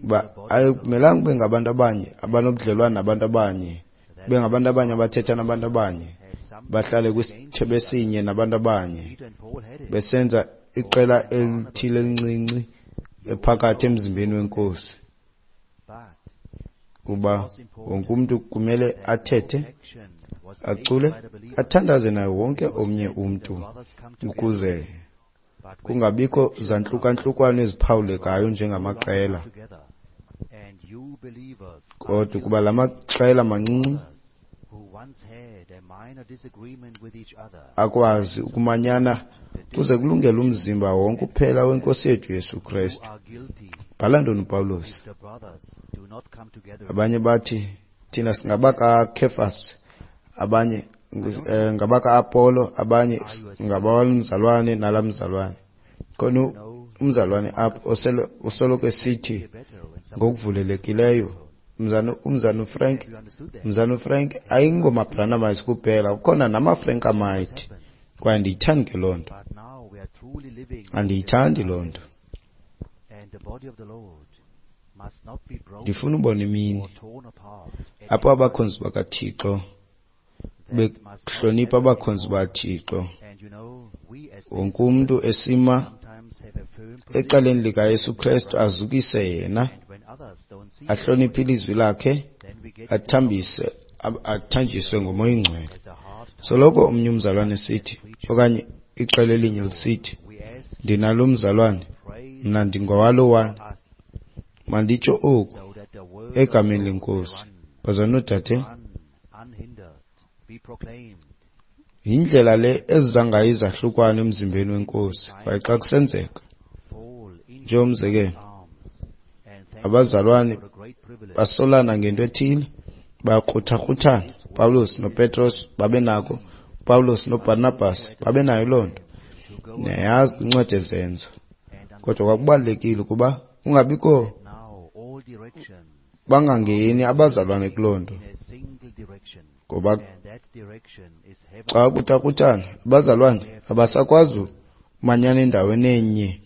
uba akumelanga kube ngabantu abanye abanobudlelwane nabantu abanye, kube ngabantu abanye abathetha nabantu abanye, bahlale kwisithebe esinye nabantu abanye, besenza iqela elithile elincinci ephakathi emzimbeni weNkosi. Kuba wonke umntu kumele athethe, acule, athandaze naye wonke omnye umntu, ukuze kungabikho zantlukantlukano eziphawulekayo njengamaqela. Kodwa ukuba la maqela mancinci akwazi ukumanyana kuze kulungele umzimba wonke uphela weNkosi yethu Yesu Kristu. Bhala ntoni uPawulos? Abanye bathi thina singabakaKefas, abanye ngabaka-Apollo, abanye ngabamzalwane nalamzalwane. Khona umzalwane apho osoloko esithi ngokuvulelekileyo, umzana umzana uFrank, umzana uFrank ayingomabranamites kuphela, kukhona namafrankamite. Kwaye andiyithandi ke loo nto, andiyithandi loo nto. Ndifuna ubona imini apho abakhonzi bakaThixo bekuhlonipha abakhonzi bakaThixo, wonke umntu esima ecaleni likaYesu Kristu, azukise yena, ahloniphe ilizwi lakhe, athambise, athanjiswe ngoMoya oyiNgcwele. Soloko omnye umzalwane esithi, okanye iqela elinye lisithi, ndinalo mzalwane, mna ndingowalowana. Manditsho oku egameni leNkosi, bazalwane noodade, yindlela le eziza ngayo izahlukwane emzimbeni weNkosi. Kwaye xa kusenzeka, njengomzekelo, abazalwane basolana ngento ethile, bayakrutha-kruthana. Pawulos noPetros babenako, Pawulos noBarnabas babenayo loo nto. Niyayazi kwincwadi yeZenzo. Kodwa kwakubalulekile ukuba kungabikho, bangangeni abazalwane kuloo nto, ngoba xa kuthakuthana abazalwane abasakwazi umanyana endaweni enye,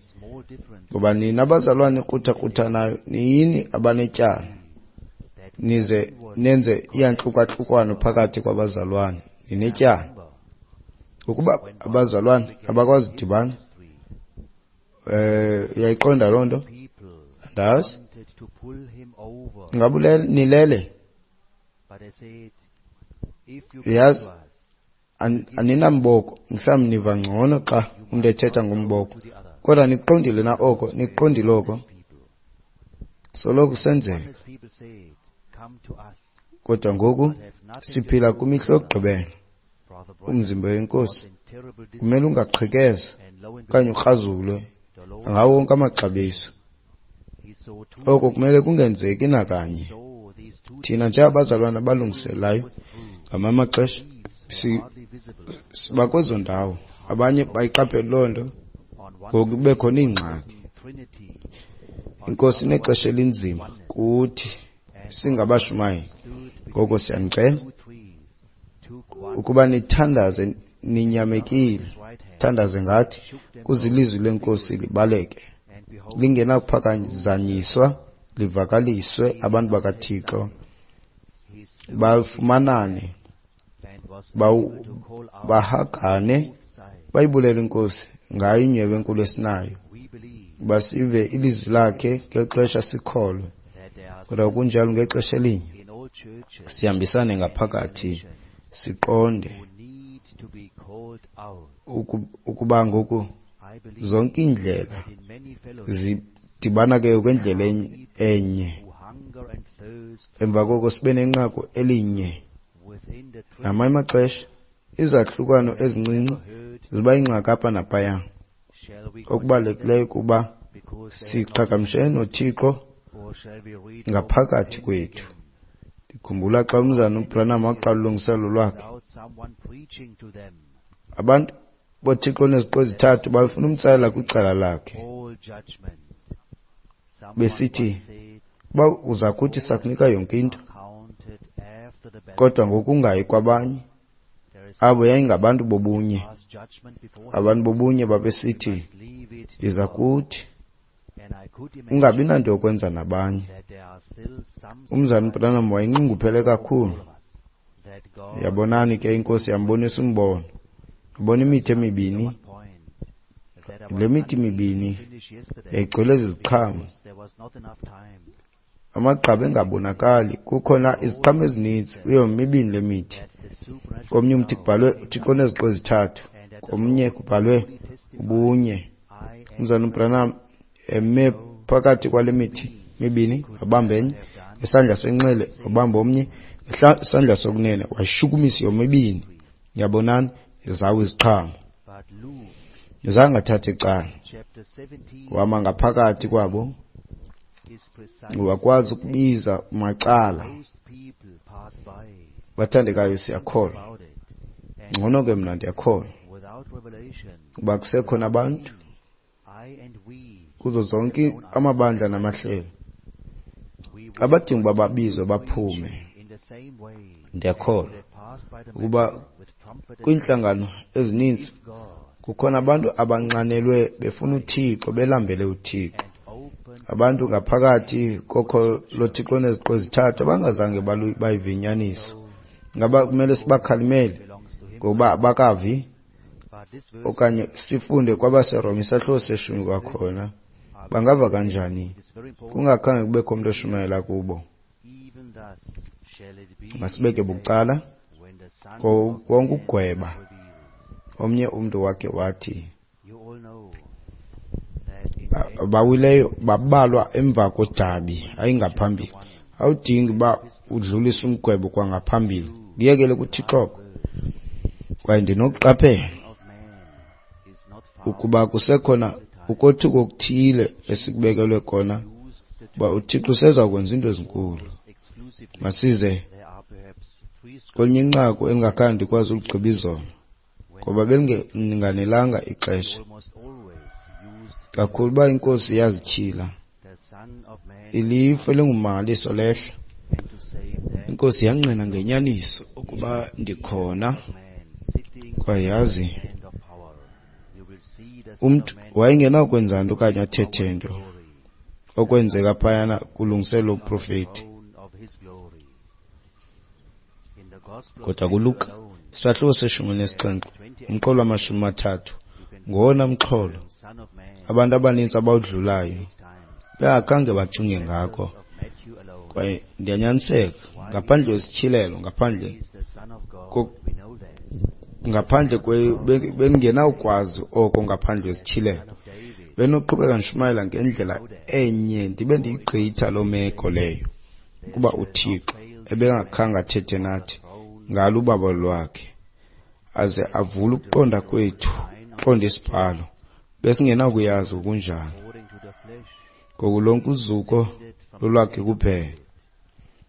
ngoba nina abazalwane kruthakruthanayo niyini abanetyala, nize nenze iyantlukahlukano phakathi kwabazalwane, ninetyala. Ngokuba abazalwane abakwazi udibana. Eh, uyayiqonda loo nto? Andazi. Ingaba nilele? Uyazi, aninamboko, mhlawumbi niva ngcono xa umntu ethetha ngomboko. Kodwa nikuqondile na oko? Nikuqondile oko? Soloko kusenzeka. Kodwa ngoku siphila kwimihla yokugqibela. Umzimba weNkosi kumele ungaqhekezwa okanye ukrazulwe ngawo wonke amaxabiso. Oko kumele kungenzeki nakanye. Thina njengabazalwana abalungiselayo ngamanye amaxesha siba kwezo ndawo, abanye bayiqaphele loo nto, ngoku kube khona iingxaki. INkosi inexesha elinzima kuthi singabashumayeli. Ngoko siyanicela ukuba nithandaze ninyamekile, thandaze ngathi, kuze ilizwi leNkosi libaleke, lingenakuphazanyiswa, livakaliswe abantu bakaThixo bafumanane, bahagane, bayibulele iNkosi ngayo inyhweba enkulu esinayo, basive ilizwi lakhe ngexesha sikholwe. Kodwa kunjalo ngexesha elinye sihambisane ngaphakathi, siqonde ukuba ngoku zonke iindlela zidibana ke kwendlela enye. Emva koko sibe nenqaku elinye. Ngamanye amaxesha izahlukano ezincinci ziba yingxaki apha naphaya. Okubalulekileyo kuba siqhagamshele noThixo ngaphakathi kwethu. Ndikhumbula xa umzana uBranham waqala ulungiselelo lwakhe, abantu boThixo oneziqu ezithathu babefuna umtsalela kwicala lakhe, besithi, uba uza kuthi sakunika yonke into, kodwa ngokungayi kwabanye. Abo yayingabantu bobunye. Abantu bobunye babesithi, yiza kuthi, ungabi nanto yokwenza nabanye. Umzana uBranham wayenxunguphele kakhulu. Yabonani ke, iNkosi yambonisa umbono. Wabona imithi emibini. Le mithi mibini yayigcwele ziziqhamo, amagqabi engabonakali. Kukhona iziqhamo ezininzi kuyo mibini le mithi. Komnye umthi kubhalwe uThixo oneziqu ezithathu, komnye kubhalwe ubunye. Umzana uBranham eme phakathi kwale mithi mibini, wabamba enye ngesandla senxele, wabamba omnye ngesandla sokunene, washukumisa yomibini. Yabonani, zawo iziqhamo. Zange athathe icala, wama ngaphakathi kwabo, wakwazi ukubiza macala. Bathandekayo, siyakholwa. Ngcono ke mna ndiyakholwa uba kusekhona abantu kuzo zonke amabandla namahlelo abadinga uba babizwe baphume. Ndiyakholwa ukuba kwiintlangano ezininzi kukhona abantu abanxanelwe befuna uThixo, belambele uThixo. Abantu ngaphakathi kokho loThixo oneziqu ezithathu abangazange bayive inyaniso. Ngaba kumele sibakhalimele ngokuba abakavi, okanye sifunde kwabaseRoma isahluko seshumi kwakhona? Bangava kanjani kungakhange kubekho umntu oshumayela kubo? Masibeke bucala konke ukugweba. Omnye umntu wakhe wathi abawileyo babalwa emva kodabi, hayi ngaphambili. Awudingi uba udlulise umgwebo kwangaphambili, kuyekele kuThixo. Kwaye ndinokuqaphela ukuba kusekhona ukothuka okuthile esikubekelwe kona, uba uThixo useza kwenza iinto ezinkulu. Masize kwelinye inqaku endingakhange ndikwazi uligqiba izolo, ngoba belinganelanga ixesha. Kakhulu uba iNkosi yazityhila, ilifu elingummangaliso lehla. INkosi yangqina ngenyaniso ukuba ndikhona, kwaye yazi umntu wayengenakwenza nto okanye athethe nto okwenzeka phayana kulungiselelo lobuprofeti. Kodwa kuLuka isahluko seshumi nesixhenxe umqolo wamashumi amathathu ngowona mxholo abantu abaninzi abawudlulayo bengakhange bacinge ngako. Kwaye ndiyanyaniseka, ngaphandle kwesityhilelo, ngaphandle ngaphandle bengenawukwazi oko ngaphandle kwesityhilelo, benoqhubeka ndishumayela ngendlela enye ndibe ndiyigqitha loo meko leyo, ukuba uThixo ebengakhange athethe nathi ngalo ubabalo lwakhe aze avule ukuqonda kwethu, uqonda isibhalo, besingenakuyazi okunjalo. Ngoku lonke uzuko lolwakhe kuphela.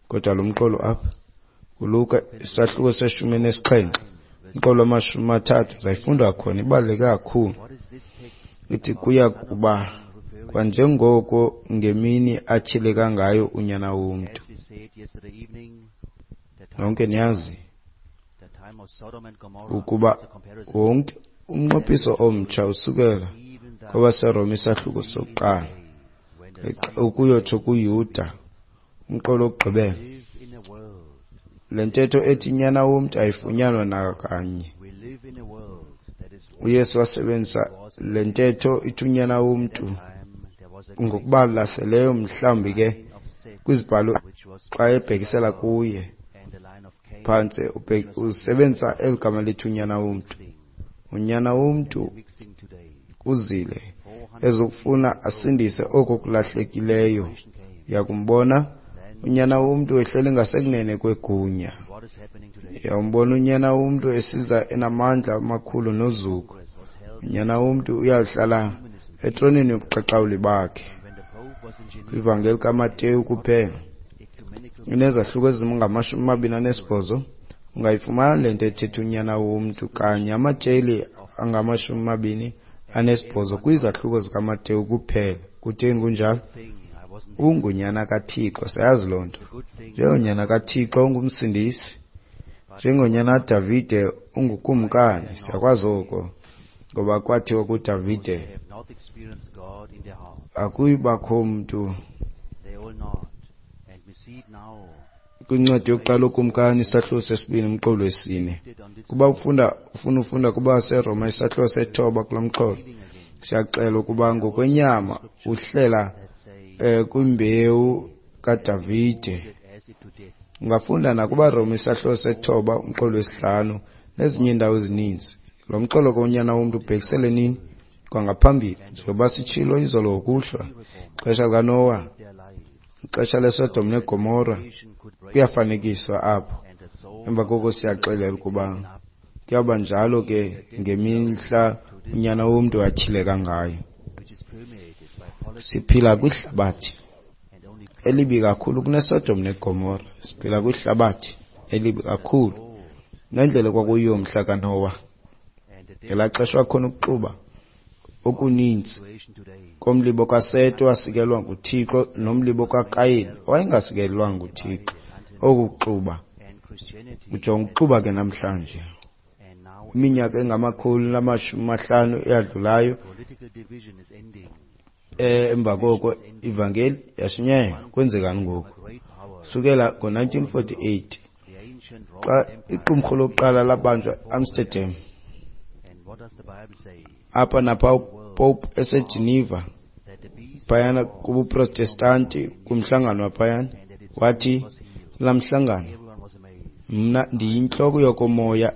Kodwa lo mqolo apha kuLuka isahluko seshumi nesixhenxe umqolo wamashumi amathathu zayifunda khona, ibaluleke kakhulu. Ithi kuya kuba kwanjengoko ngemini atyhileka ngayo uNyana woMntu. Nonke niyazi Ukuba wonke umnqophiso omtsha usukela kwabaseRoma isahluko sokuqala ukuyotsho kuYuda umqolo wokugqibela. Le ntetho ethi nyana womntu ayifunyanwa nakanye. UYesu wasebenzisa le ntetho ithi unyana womntu ngokubalaseleyo mhlawumbi ke kwizibhalo xa ebhekisela kuye phantse usebenzisa eli gama lithi unyana womntu. Unyana womntu uzile ezokufuna asindise oko kulahlekileyo. Uyakumbona unyana womntu ehleli ngasekunene kwegunya. Uyawumbona unyana womntu esiza enamandla amakhulu nozuko. Unyana womntu uyawuhlala etroneni yobuqaqawuli bakhe. Kwivangeli kaMateyu kuphela inezahluko ezingamashumi amabini anesibhozo ungayifumana le nto ethetha unyana womntu kanye amatyeli angamashumi amabini anesibhozo kwizahluko zikaMateyu kuphela. Kutheni kunjalo? Ungunyana kaThixo, siyazi loo nto. Njengonyana kaThixo ungumsindisi, njengonyana kaDavide ungukumkani, siyakwazi oko, ngoba kwathiwa kuDavide akuyibakho mntu kwincwadi yokuqala okumkani isahluko sesibini umqolo wesine. Kuba ufunda ufuna ufunda kuba seRoma isahluko sethoba kulo mxholo, siyaxela ukuba ngokwenyama uhlela eh, kwimbewu kaDavide. Ungafunda nakuba Roma isahluko sethoba umqolo wesihlanu nezinye iindawo ezininzi. Lo mxholo ke unyana womntu ubhekisele nini? Kwangaphambili, njengoba sitshilo izolo ngokuhlwa, ixesha likaNowa, ixesha leSodom neGomora kuyafanekiswa apho. Emva koko siyaxelela ukuba kuyawuba njalo ke ngemihla unyana womntu atyhileka ngayo. Siphila kwihlabathi elibi kakhulu kuneSodom neGomora. Siphila kwihlabathi elibi kakhulu nendlela kwakuyiyo mhla kaNowa. Ngelaa xesha wakhona ukuxuba okuninzi komlibo kaSete owasikelwa nguThixo nomlibo kaKayini owayengasikelwanga nguThixo. Oku kuxuba, ujonga ukuxuba ke namhlanje. Iminyaka engamakhulu namashumi amahlanu eyadlulayo, emva koko ivangeli yashunyayelwa. Kwenzekani ngoku? Sukela ngo-nineteen forty-eight xa iqumrhu lokuqala labanjwa eAmsterdam, apha napha uPope eseGeneva phayana kubuProtestanti kumhlangano waphayana, wathi kulaa mhlangano, mna ndiyintloko yokomoya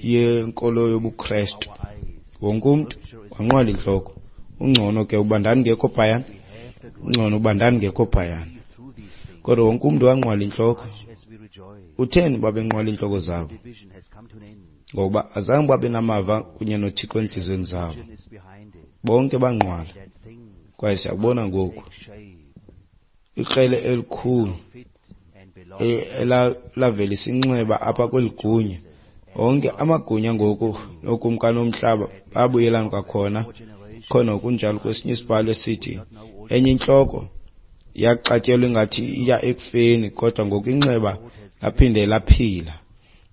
yenkolo yobuKrestu. Wonke umntu wanqwala intloko. Ungcono ke uba ndandingekho phayana, ungcono uba ndandingekho phayana. Kodwa wonke umntu wanqwala intloko. Utheni babenqwala iintloko zabo? Ngokuba azange babe namava kunye noThixo entliziyweni zabo. Bonke banqwala. Kwaye siyakubona ngoku ikrele elikhulu elavelisa inxeba apha kweli gunya. Onke amagunya ngoku nookumkani bomhlaba babuyelana kwakhona. Khona kunjalo kwesinye isibhalo esithi enye intloko yaxatyelwa ingathi iya ekufeni, kodwa ngoku inxeba laphinde laphila.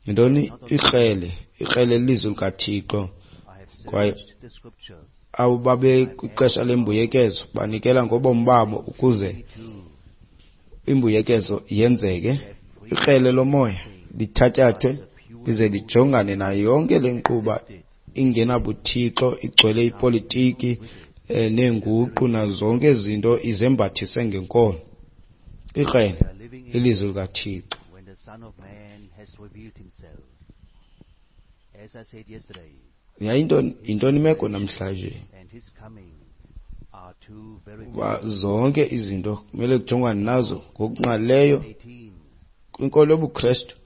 Yintoni ikrele? Ikrele lilizwi likaThixo. Kwaye abo babe kwixesha lembuyekezo banikela ngobomi babo ukuze imbuyekezo yenzeke. Ikrele lomoya lithatyathwe lize lijongane nayo yonke le nkquba ingenabuthixo, igcwele ipolitiki eh, neenguqu nazo zonke izinto izembathise ngenkolo. Ikrele lilizwi likaThixo. Yayintoni yintoni imeko namhlanje? Uba zonke izinto kumele kujongwane nazo ngokungqalileyo kwinkolo yobuKrestu.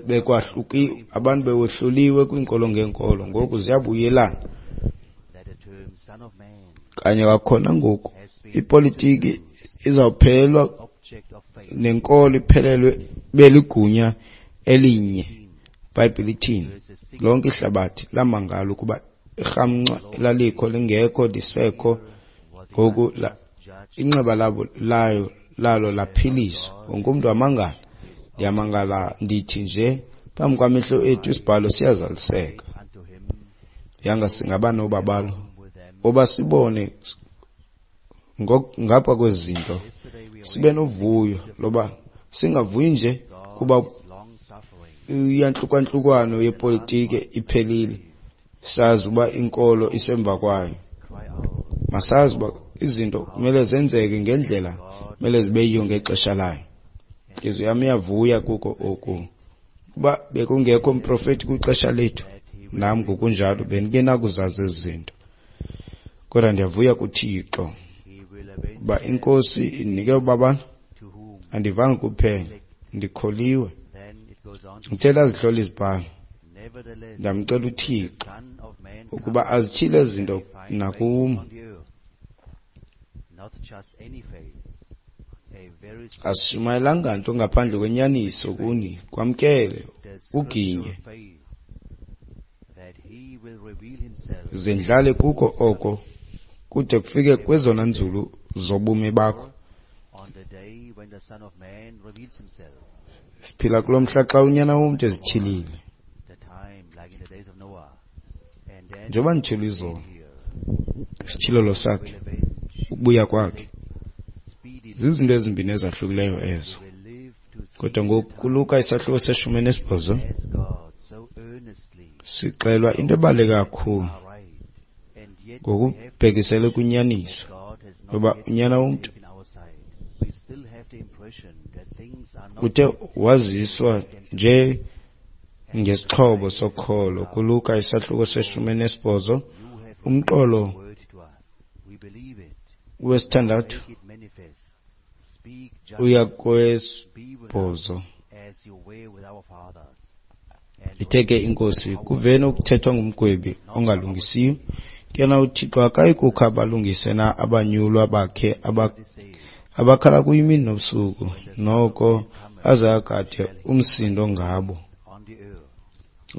Bekwahluki abantu bewohluliwe kwiinkolo ngeenkolo, ngoku ziyabuyelana. Kanye kwakhona ngoku ipolitiki izawuphelelwa nenkolo iphelelwe beligunya elinye. IBhayibhile ithini? Lonke ihlabathi lamangala ukuba irhamncwa elalikho lingekho lisekho ngoku inxeba labo layo lalo laphiliswa. Wonke umntu wamangala. Ndiyamangala ndithi nje Phambi kwamehlo ethu isibhalo siyazaliseka. Yanga singaba nobabalo oba sibone ngapha kwezi zinto, sibe novuyo loba singavuyi nje kuba iyantlukwantlukwana yepolitiki iphelile, sazi uba inkolo isemva kwayo. Masazi uba izinto kumele zenzeke ngendlela kumele zibe yiyo ngexesha layo. Intliziyo yam iyavuya kuko oku. Uba bekungekho mprofeti kwixesha lethu, nam ngokunjalo bendingenakuzazi ezi zinto. Kodwa ndiyavuya kuThixo uba iNkosi indinike ubabalo, andivanga kuphela, ndikholiwe. Ndithe ndazihlola izibhalo, ndamcela uThixo ukuba azityhile ezi zinto nakum. Asishumayelanga nto ngaphandle kwenyaniso kuni, kwamkele, uginye. Zindlale kuko oko kude kufike kwezona nzulu zobomi bakho. Siphila kulo mhla xa unyana womntu ezityhilile. Njengoba nditshilo izolo, isityhilelo sakhe, ukubuya kwakhe, zizinto ezimbini ezahlukileyo ezo. Kodwa ngoku kuLuka isahluko seshumi nesibhozo sixelwa into ebaluleke kakhulu ngokubhekisele kwinyaniso yoba unyana womntu uthe waziswa nje ngesixhobo sokholo. KuLuka isahluko seshumi nesibhozo umqolo wesithandathu uya kwesibhozo. Ithe ke iNkosi, kuveni okuthethwa ngumgwebi ongalungisiyo? Ke na uThixo akayi kukha abalungise na abanyulwa bakhe abakhala kuye imini nobusuku, noko aze agade umsindo ngabo?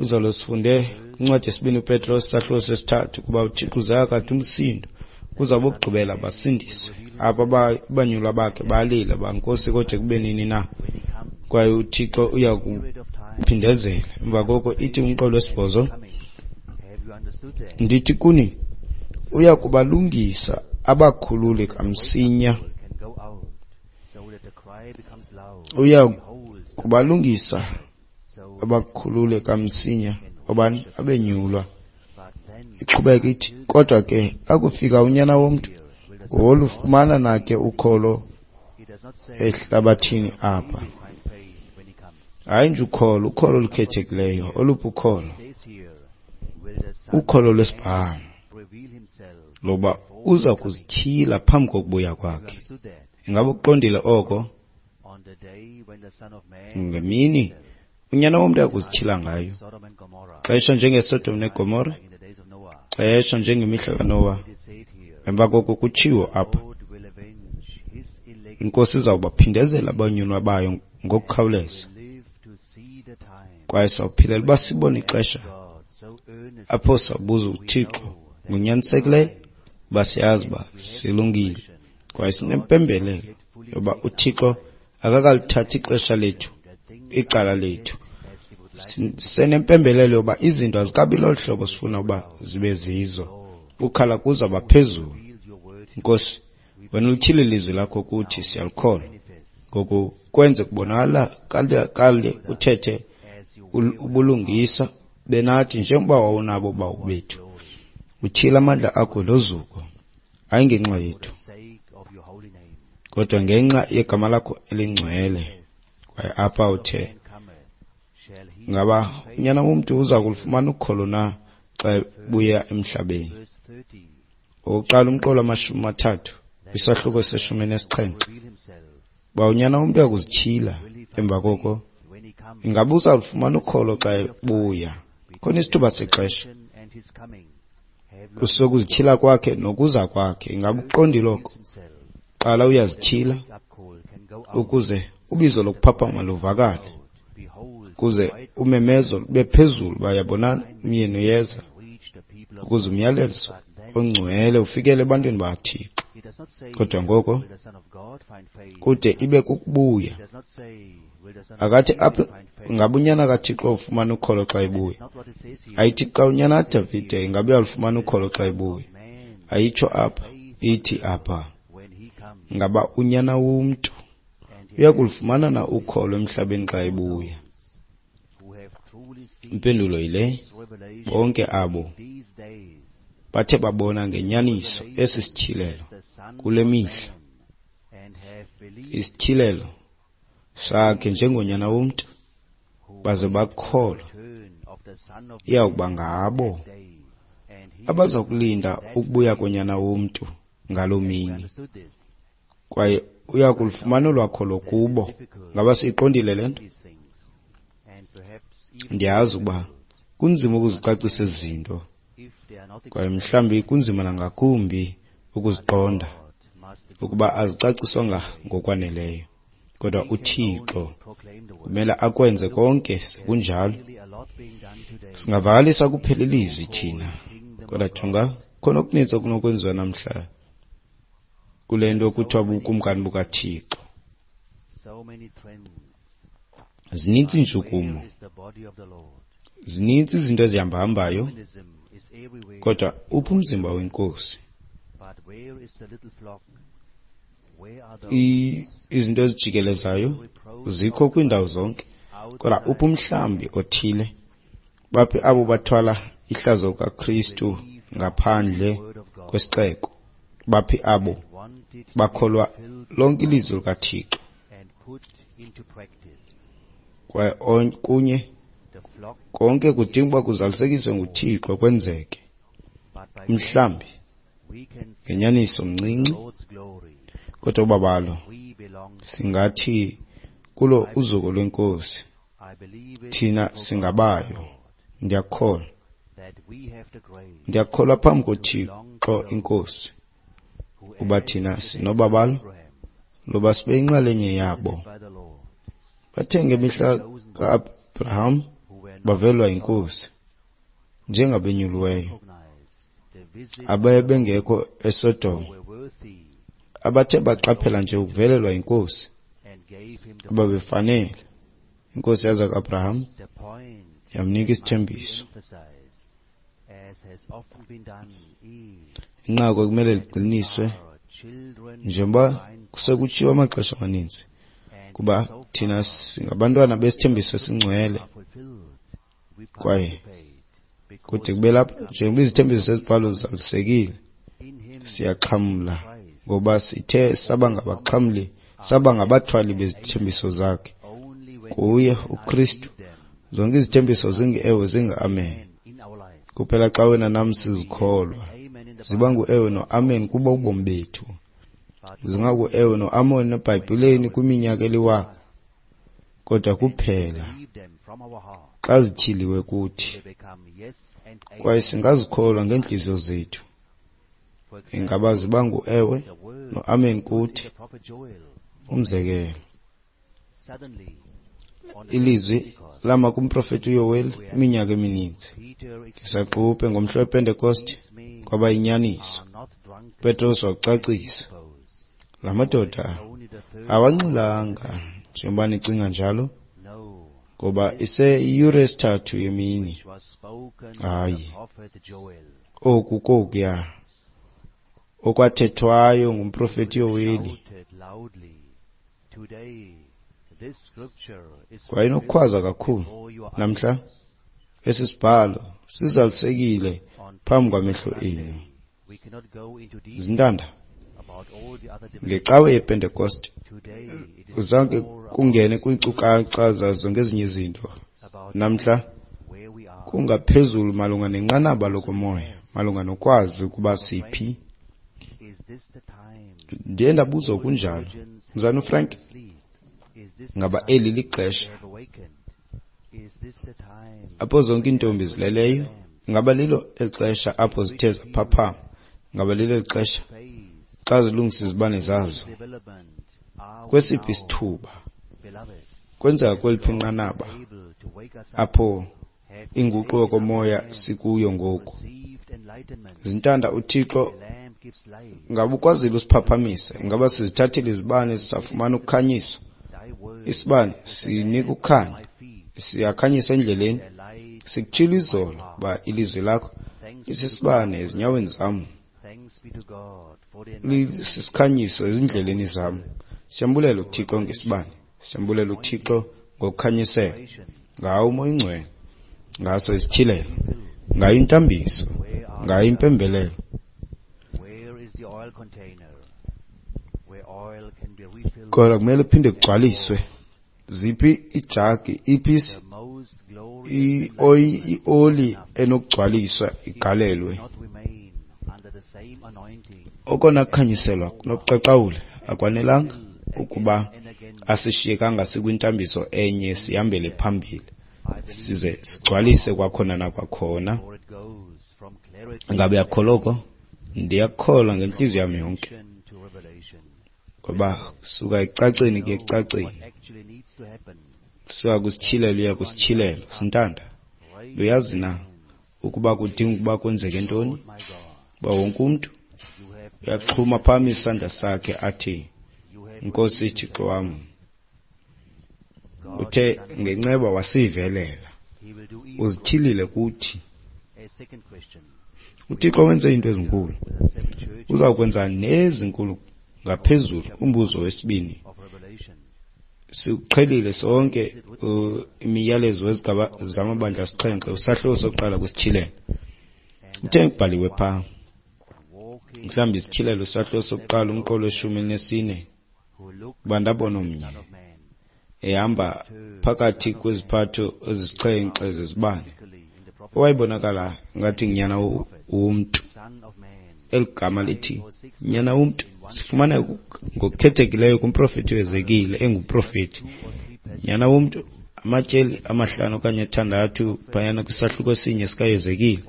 Izolo sifunde kwincwadi yesibini uPetros isahluko sesithathu ukuba uThixo uze agade umsindo ukuze abokugqibela basindiswe. Apha abanyulwa bakhe balila bankosi kodwa kube nini na? Kwaye uThixo uya kuphindezela. Emva koko ithi umqolo wesibhozo, ndithi kuni uya kubalungisa abakhulule kamsinya. Uya kubalungisa abakhulule kamsinya obani abenyulwa. Iqhubeka ithi, kodwa ke akufika unyana womntu, wolufumana na ke ukholo ehlabathini apha? Hayi nje ukholo, ukholo olukhethekileyo. Oluphi ukholo? Ukholo lwesibhalo lokuba uza kuzityhila phambi kokubuya kwakhe. Ingaba ukuqondile oko? Ngemini unyana womntu akuzityhila ngayo, xesha njengeSodom neGomora, xesha njengemihla kaNowa. Emva koko kutshiwo apha, iNkosi izawubaphindezela abanyulwa bayo ngokukhawuleza. Kwaye sawuphilela uba sibone ixesha apho sawubuza uThixo ngonyanisekileyo uba siyazi uba silungile, kwaye sinempembelelo yoba uThixo akakalithathi ixesha lethu, icala lethu. Sinempembelelo yoba izinto azikabi lolu hlobo sifuna uba zibe zizo. Ukhala kuzawuba phezulu. Nkosi, wena ulityhile ilizwi lakho kuthi, siyalikholwa. Ngoku kwenze kubonakala kale uthethe ubulungisa benathi njengoba wawunabo bawo bethu. Utyhila amandla akho nozuko, hayi ngenxa yethu, kodwa ngenxa yegama lakho elingcwele. Kwaye apha uthe, ngaba unyana womntu uza kulufumana ukholo na xa ebuya emhlabeni? Okokuqala umqolo wamashumi amathathu kwisahluko seshumi nesixhenxe, uba unyana womntu uyakuzityhila emva koko, ingaba uzalufumana ukholo xa ebuya? Khona isithuba sexesha sokuzityhila kwakhe nokuza kwakhe. Ingaba uqondile oko? Qala uyazityhila ukuze ubizo lokuphaphama luvakale, ukuze umemezo lube phezulu uba yabonana umyeni uyeza, ukuze umyalezo ongcwele ufikele ebantwini bakaThixo. Kodwa ngoko kude ibe kukubuya. Akathi apha ingaba unyana kaThixo ufumana ukholo xa ebuya. Ayithi xa unyana kaDavide ingaba uyalufumana ukholo xa ebuya. Ayitsho apha, ithi apha ngaba unyana womntu uyakulufumana na ukholo emhlabeni xa ebuya. Impendulo yile, bonke abo bathe babona ngenyaniso esi sityhilelo kule mihla, isityhilelo sakhe njengonyana womntu, baze bakholwa, iyawukuba ngabo abaza kulinda ukubuya konyana womntu ngaloo mini, kwaye uyakulufumana olwakholo kubo. Ngaba siyiqondile le nto? Ndiyazi ukuba kunzima ukuzicacisa ezi zinto, kwaye mhlawumbi kunzima nangakumbi ukuziqonda ukuba azicaciswanga ngokwaneleyo. Kodwa uThixo kumele akwenze konke sekunjalo. Singavakalisa kuphela ilizwi thina, kodwa jonga, khona okuninzi okunokwenziwa namhla kule nto kuthiwa bubukumkani bukaThixo. Zinintsi iintshukumo, zinintsi izinto ezihambahambayo, kodwa uphi umzimba weNkosi? Izinto ezijikelezayo zikho kwiindawo zonke, kodwa uphi umhlambi othile? Baphi abo bathwala ihlazo kaKristu ngaphandle kwesixeko? Baphi abo bakholwa lonke ilizwi likaThixo? Kwaye kunye konke kudinga uba kuzalisekiswe nguThixo kwenzeke. Umhlambi ngenyaniso mncinci, kodwa ubabalo singathi kulo uzuko lweNkosi, thina singabayo. Ndiyakholwa, ndiyakholwa phambi koThixo iNkosi uba thina sinobabalo loba sibe yinxalenye yabo. Bathe ngemihla ka-Abraham bavelwa yiNkosi njengabenyuliweyo abebengekho eSodom, abathe baqaphela nje ukuvelelwa yiNkosi ababefanele. INkosi yaza ku-Abraham yamnika isithembiso. Inqaku ekumele liqiniswe njengoba kusekutshiwo amaxesha amaninzi, kuba thina singabantwana besithembiso esingcwele, kwaye kude kube lapha njengoba izithembiso zezibhalo zizalisekile, siyaxhamla ngoba sithe saba ngabaxhamli, saba ngabathwali bezithembiso zakhe. Kuye uKristu zonke izithembiso zingu-ewe zingu-amen. Kuphela xa wena nam sizikholwa, ziba ngu-ewe no-amen kubo ubomi bethu. Zingaku-ewe no-amen eBhayibhileni kwiminyaka eliwaka, kodwa kuphela xa zityhiliwe kuthi, kwaye singazikholwa ngeentliziyo zethu, ingaba ziba ngu-ewe no-amen kuthi. Umzekelo, ilizwi lama kumprofeti uYoweli iminyaka emininzi isaquphe ngomhla wePentekoste kwaba yinyaniso. Petros wacacisa, la madoda awanxilanga njengoba nicinga njalo, ngoba iseyiyure yesithathu yemini. Hayi, oku kokuya okwathethwayo ngumprofeti Yoweli. Wayenokukhwaza kakhulu, namhla esi sibhalo sizalisekile phambi kwamehlo enu. Zintanda, ngecawe yePentekoste zange kungene kwiinkcukacha zazo ngezinye izinto. Namhla kungaphezulu malunga nenqanaba lokomoya, malunga nokwazi ukuba siphi. Ndiye ndabuzwa kunjalo, Mzalwana uFrank, ngaba eli lixesha apho zonke iintombi zileleyo? Ngaba lilo eli xesha apho zithe zaphaphama? Ngaba lilo eli xesha xa zilungisa izibane zazo? Kwesiphi isithuba? Kwenzeka kweliphi inqanaba apho inguqu yokomoya sikuyo ngoku? Zintanda, uThixo Ngaba ukwazile usiphaphamisa? Ingaba sizithathile izibane sisafumana ukukhanyiso? Isibane sinika ukukhanya, siyakhanyisa endleleni. Sikutshilo izolo uba ilizwi lakho lisisibane ezinyaweni zam, lisisikhanyiso ezindleleni zam. Siyambulela uThixo ngesibane, siyambulela uThixo ngokukhanyisela, ngawo uMoya oyiNgcwele, ngaso isityhilelo, ngayo intambiso, ngayo impembelelo. Kodwa kumele kuphinde kugcwaliswe. Ziphi ijagi, iphi ioli enokugcwaliswa igalelwe? Okona kukhanyiselwa kunobuqaqawuli akwanelanga ukuba asishiyekanga sikwintambiso enye sihambele phambili size sigcwalise kwakhona nakwakhona. Ngabe uyakholwa oko? Ndiyakholwa ngentliziyo yam yonke, ngoba suka ekucaceni kuye ekucaceni, suka kwisityhilelo uya kwisityhilelo. Sintanda, uyazi na ukuba kudinga ukuba kwenzeke ntoni? Uba wonke umntu uyaxhuma phambi isandla sakhe athi, Nkosi Thixo wam, uthe ngenceba wasivelela, uzityhilile kuthi. UThixo wenze iinto ezinkulu, uzawukwenza nezinkulu ngaphezulu. Umbuzo wesibini, siqhelile sonke imiyalezo wezigaba zamabandla asixhenxe, usahluko sokuqala kwisityhilelo. Uthe kubhaliwe phaa, mhlawumbi isityhilelo isahluko sokuqala umqolo weshumi elinesine, uba ndabona omnye ehamba phakathi kweziphatho ezisixhenxe zezibane, owayebonakala ngathi ngunyana womntu. Eli gama lithi nyana womntu sifumana ngokukhethekileyo kumprofeti uHezekile, engumprofeti. Nyana womntu, amatyeli amahlanu okanye athandathu phayana kwisahluko esinye sikaHezekile.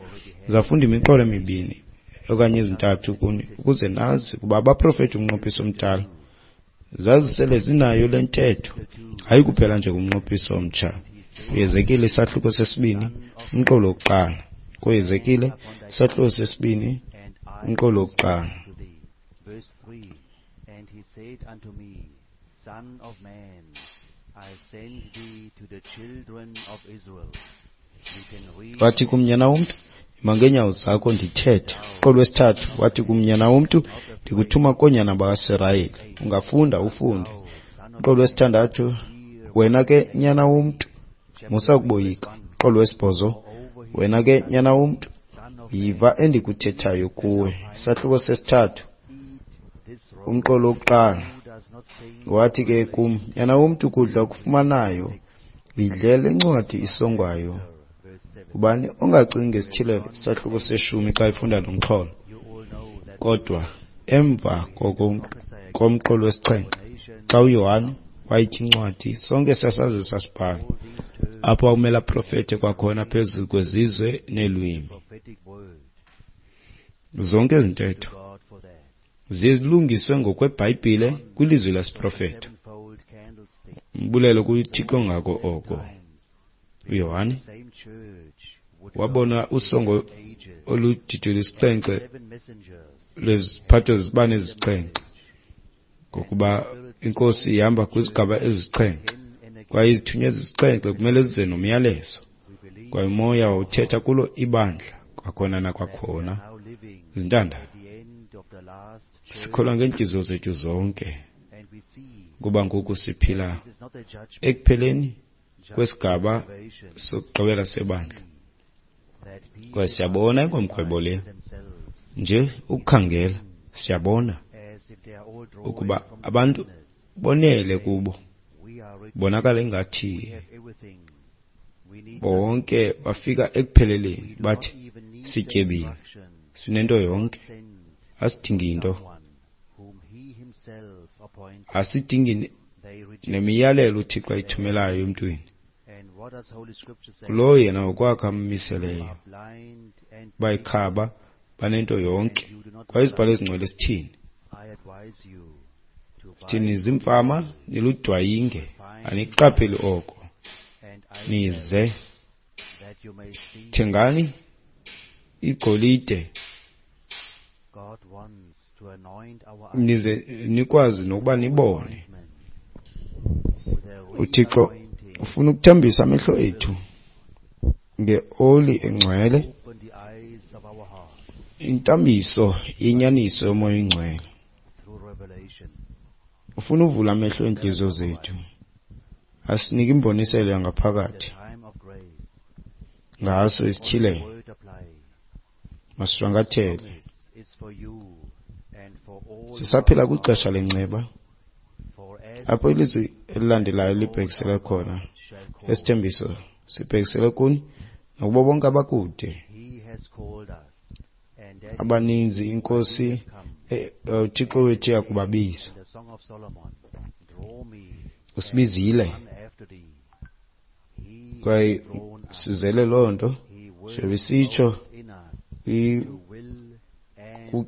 Ndizawufunda imiqolo emibini okanye ezintathu kuni ukuze nazi ukuba abaprofeti umnqophiso omdala zazisele zinayo le ntetho, hayi kuphela nje kumnqophiso omtsha. UHezekile isahluko sesibini umqolo wokuqala. KuHezekile isahluko sesibini umqolo wokuqala. Verse three, and he said unto me, Son of man, I send thee to the children of Israel. You can read Wathi kum, nyana womntu, ima ngeenyawo zakho ndithethe. Umqolo wesithathu wathi kum, nyana womntu, ndikuthuma koonyana bakaSirayeli. Ungafunda ufunde. Umqolo wesithandathu, wena ke nyana womntu, musa ukuboyika. Umqolo wesibhozo, wena ke nyana womntu, yiva endikuthethayo kuwe. Isahluko sesithathu, umqolo wokuqala. Wathi ke kum, nyana womntu, kudla okufumanayo, yidle le ncwadi isongwayo. Ubani ongacingi ngesityhilelo isahluko seshumi xa efunda lo mxholo? Kodwa emva koko komqolo wesixhenxe, xa uYohane wayitya incwadi, sonke sasazi sasibhala apho akumele aprofete kwakhona phezu kwezizwe neelwimi. Zonke ezi ntetho zilungiswe ngokweBhayibhile kwilizwi lesiprofeto. Umbulelo kuThixo ngako oko. uYohane wabona usongo oludidi lwesixhenxe lweziphatho zibane ezisixhenxe, ngokuba inkosi ihamba kwizigaba ezisixhenxe, kwaye izithunywa ezisixhenxe kumele zize nomyalezo, kwaye umoya wawuthetha kulo ibandla kwakhona nakwakhona. Zintanda, sikholwa ngeentliziyo zethu zonke kuba ngoku siphila ekupheleni kwesigaba sokugqibela sebandla, kwaye siyabona ingomgwebo le. Nje ukukhangela siyabona ukuba abantu bonele kubo, bonakala ingathi bonke bafika ekupheleleni, bathi sityebile, sinento yonke, asidingi nto, asidingi nemiyalelo uThixo ayithumelayo emntwini. Kulowo yena ngokwakhe ammiseleyo, bayikhaba banento yonke. Kwaye izibhalo ezingcwele sithini? Thini zimfama niludwayinge, aniqapheli oko. Nize thengani igolide Nize nikwazi nokuba nibone. UThixo ufuna ukuthambisa amehlo ethu ngeoli engcwele, intambiso yenyaniso yomoya oyingcwele. Ufuna uvula amehlo eentliziyo zethu, asinike imboniselo yangaphakathi ngaso isityhilelo. Masishwankathele. Sisaphila kwixesha lenceba apho ilizwi elilandelayo libhekisele khona. Esithembiso sibhekisele kuni nakubo bonke abakude abaninzi iNkosi uThixo wethu iyakubabiza. Usibizile kwaye sizele loo nto njengoba isitsho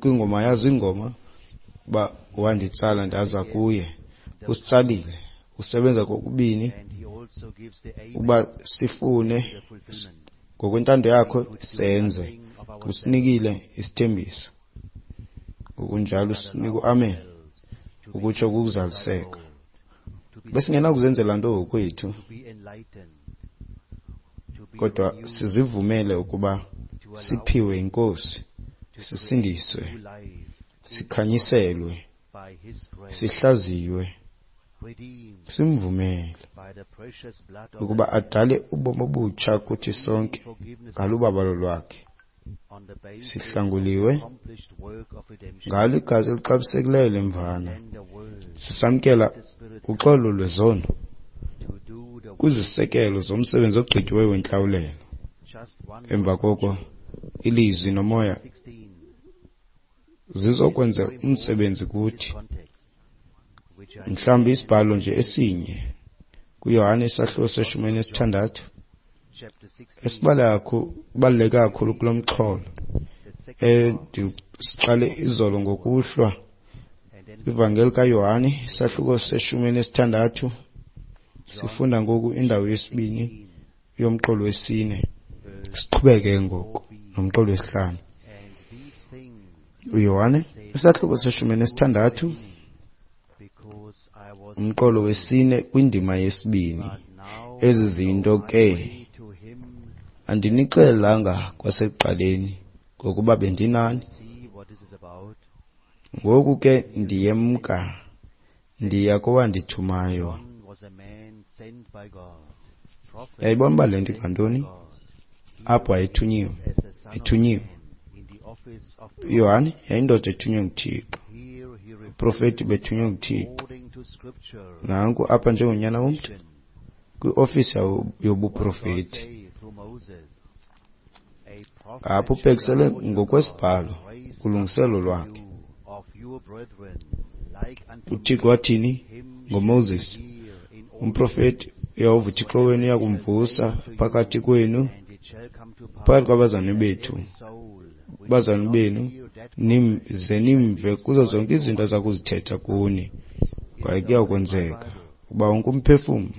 kwingoma yazo iingoma uba wanditsala ndaza kuye. Usitsalile, usebenza kokubini uba sifune ngokwentando yakho senze. Usinikile isithembiso, ngokunjalo usinika uamen, ukutsho kukuzaliseka. Besingenakuzenzela nto ngokwethu, kodwa sizivumele ukuba siphiwe yiNkosi, sisindiswe, sikhanyiselwe, sihlaziywe, simvumele ukuba adale ubomi obutsha kuthi sonke ngalubabalo lwakhe. Sihlanguliwe ngalo igazi elixabisekileyo lemvana, sisamkela uxolo lwezono kwizisekelo zomsebenzi ogqityiweyo wentlawulelo. Emva koko ilizwi nomoya zizokwenza umsebenzi kuthi. Mhlawumbi isibhalo nje esinye kuYohane isahluko seshumi elinesithandathu esibaluleke kakhulu kulo mxholo endisiqale izolo ngokuhlwa. Kwivangeli kaYohane isahluko seshumi elinesithandathu sifunda ngoku indawo yesibini yomqolo wesine. Siqhubeke ngoku nomqolo wesihlanu. uYohane isahluko seshumi elinesithandathu umqolo wesine kwindima yesibini. Ezi zinto ke andinixelelanga kwasekuqaleni ngokuba bendinani. Ngoku ke ndiyemka, ndiya kowandithumayo. Yayibona uba le nto ingantoni? Apho wayethunyiwe, ethunyiwe. uYohane yayindoda ethunywe nguThixo, uprofeti bethunywe nguThixo. Nanku apha njengonyana womntu kwiofisi yobuprofeti. Apho ubhekisele ngokwesibhalo kulungiselelo lwakhe. UThixo wathini ngoMoses? Umprofeti uYehova uThixo wenu uyakumvusa phakathi kwenu, phakathi kwabazalwane bethu, bazalwane benu, ze nimve kuzo zonke izinto aza kuzithetha kuni. Kwaye kuyakwenzeka ukuba wonke umphefumlo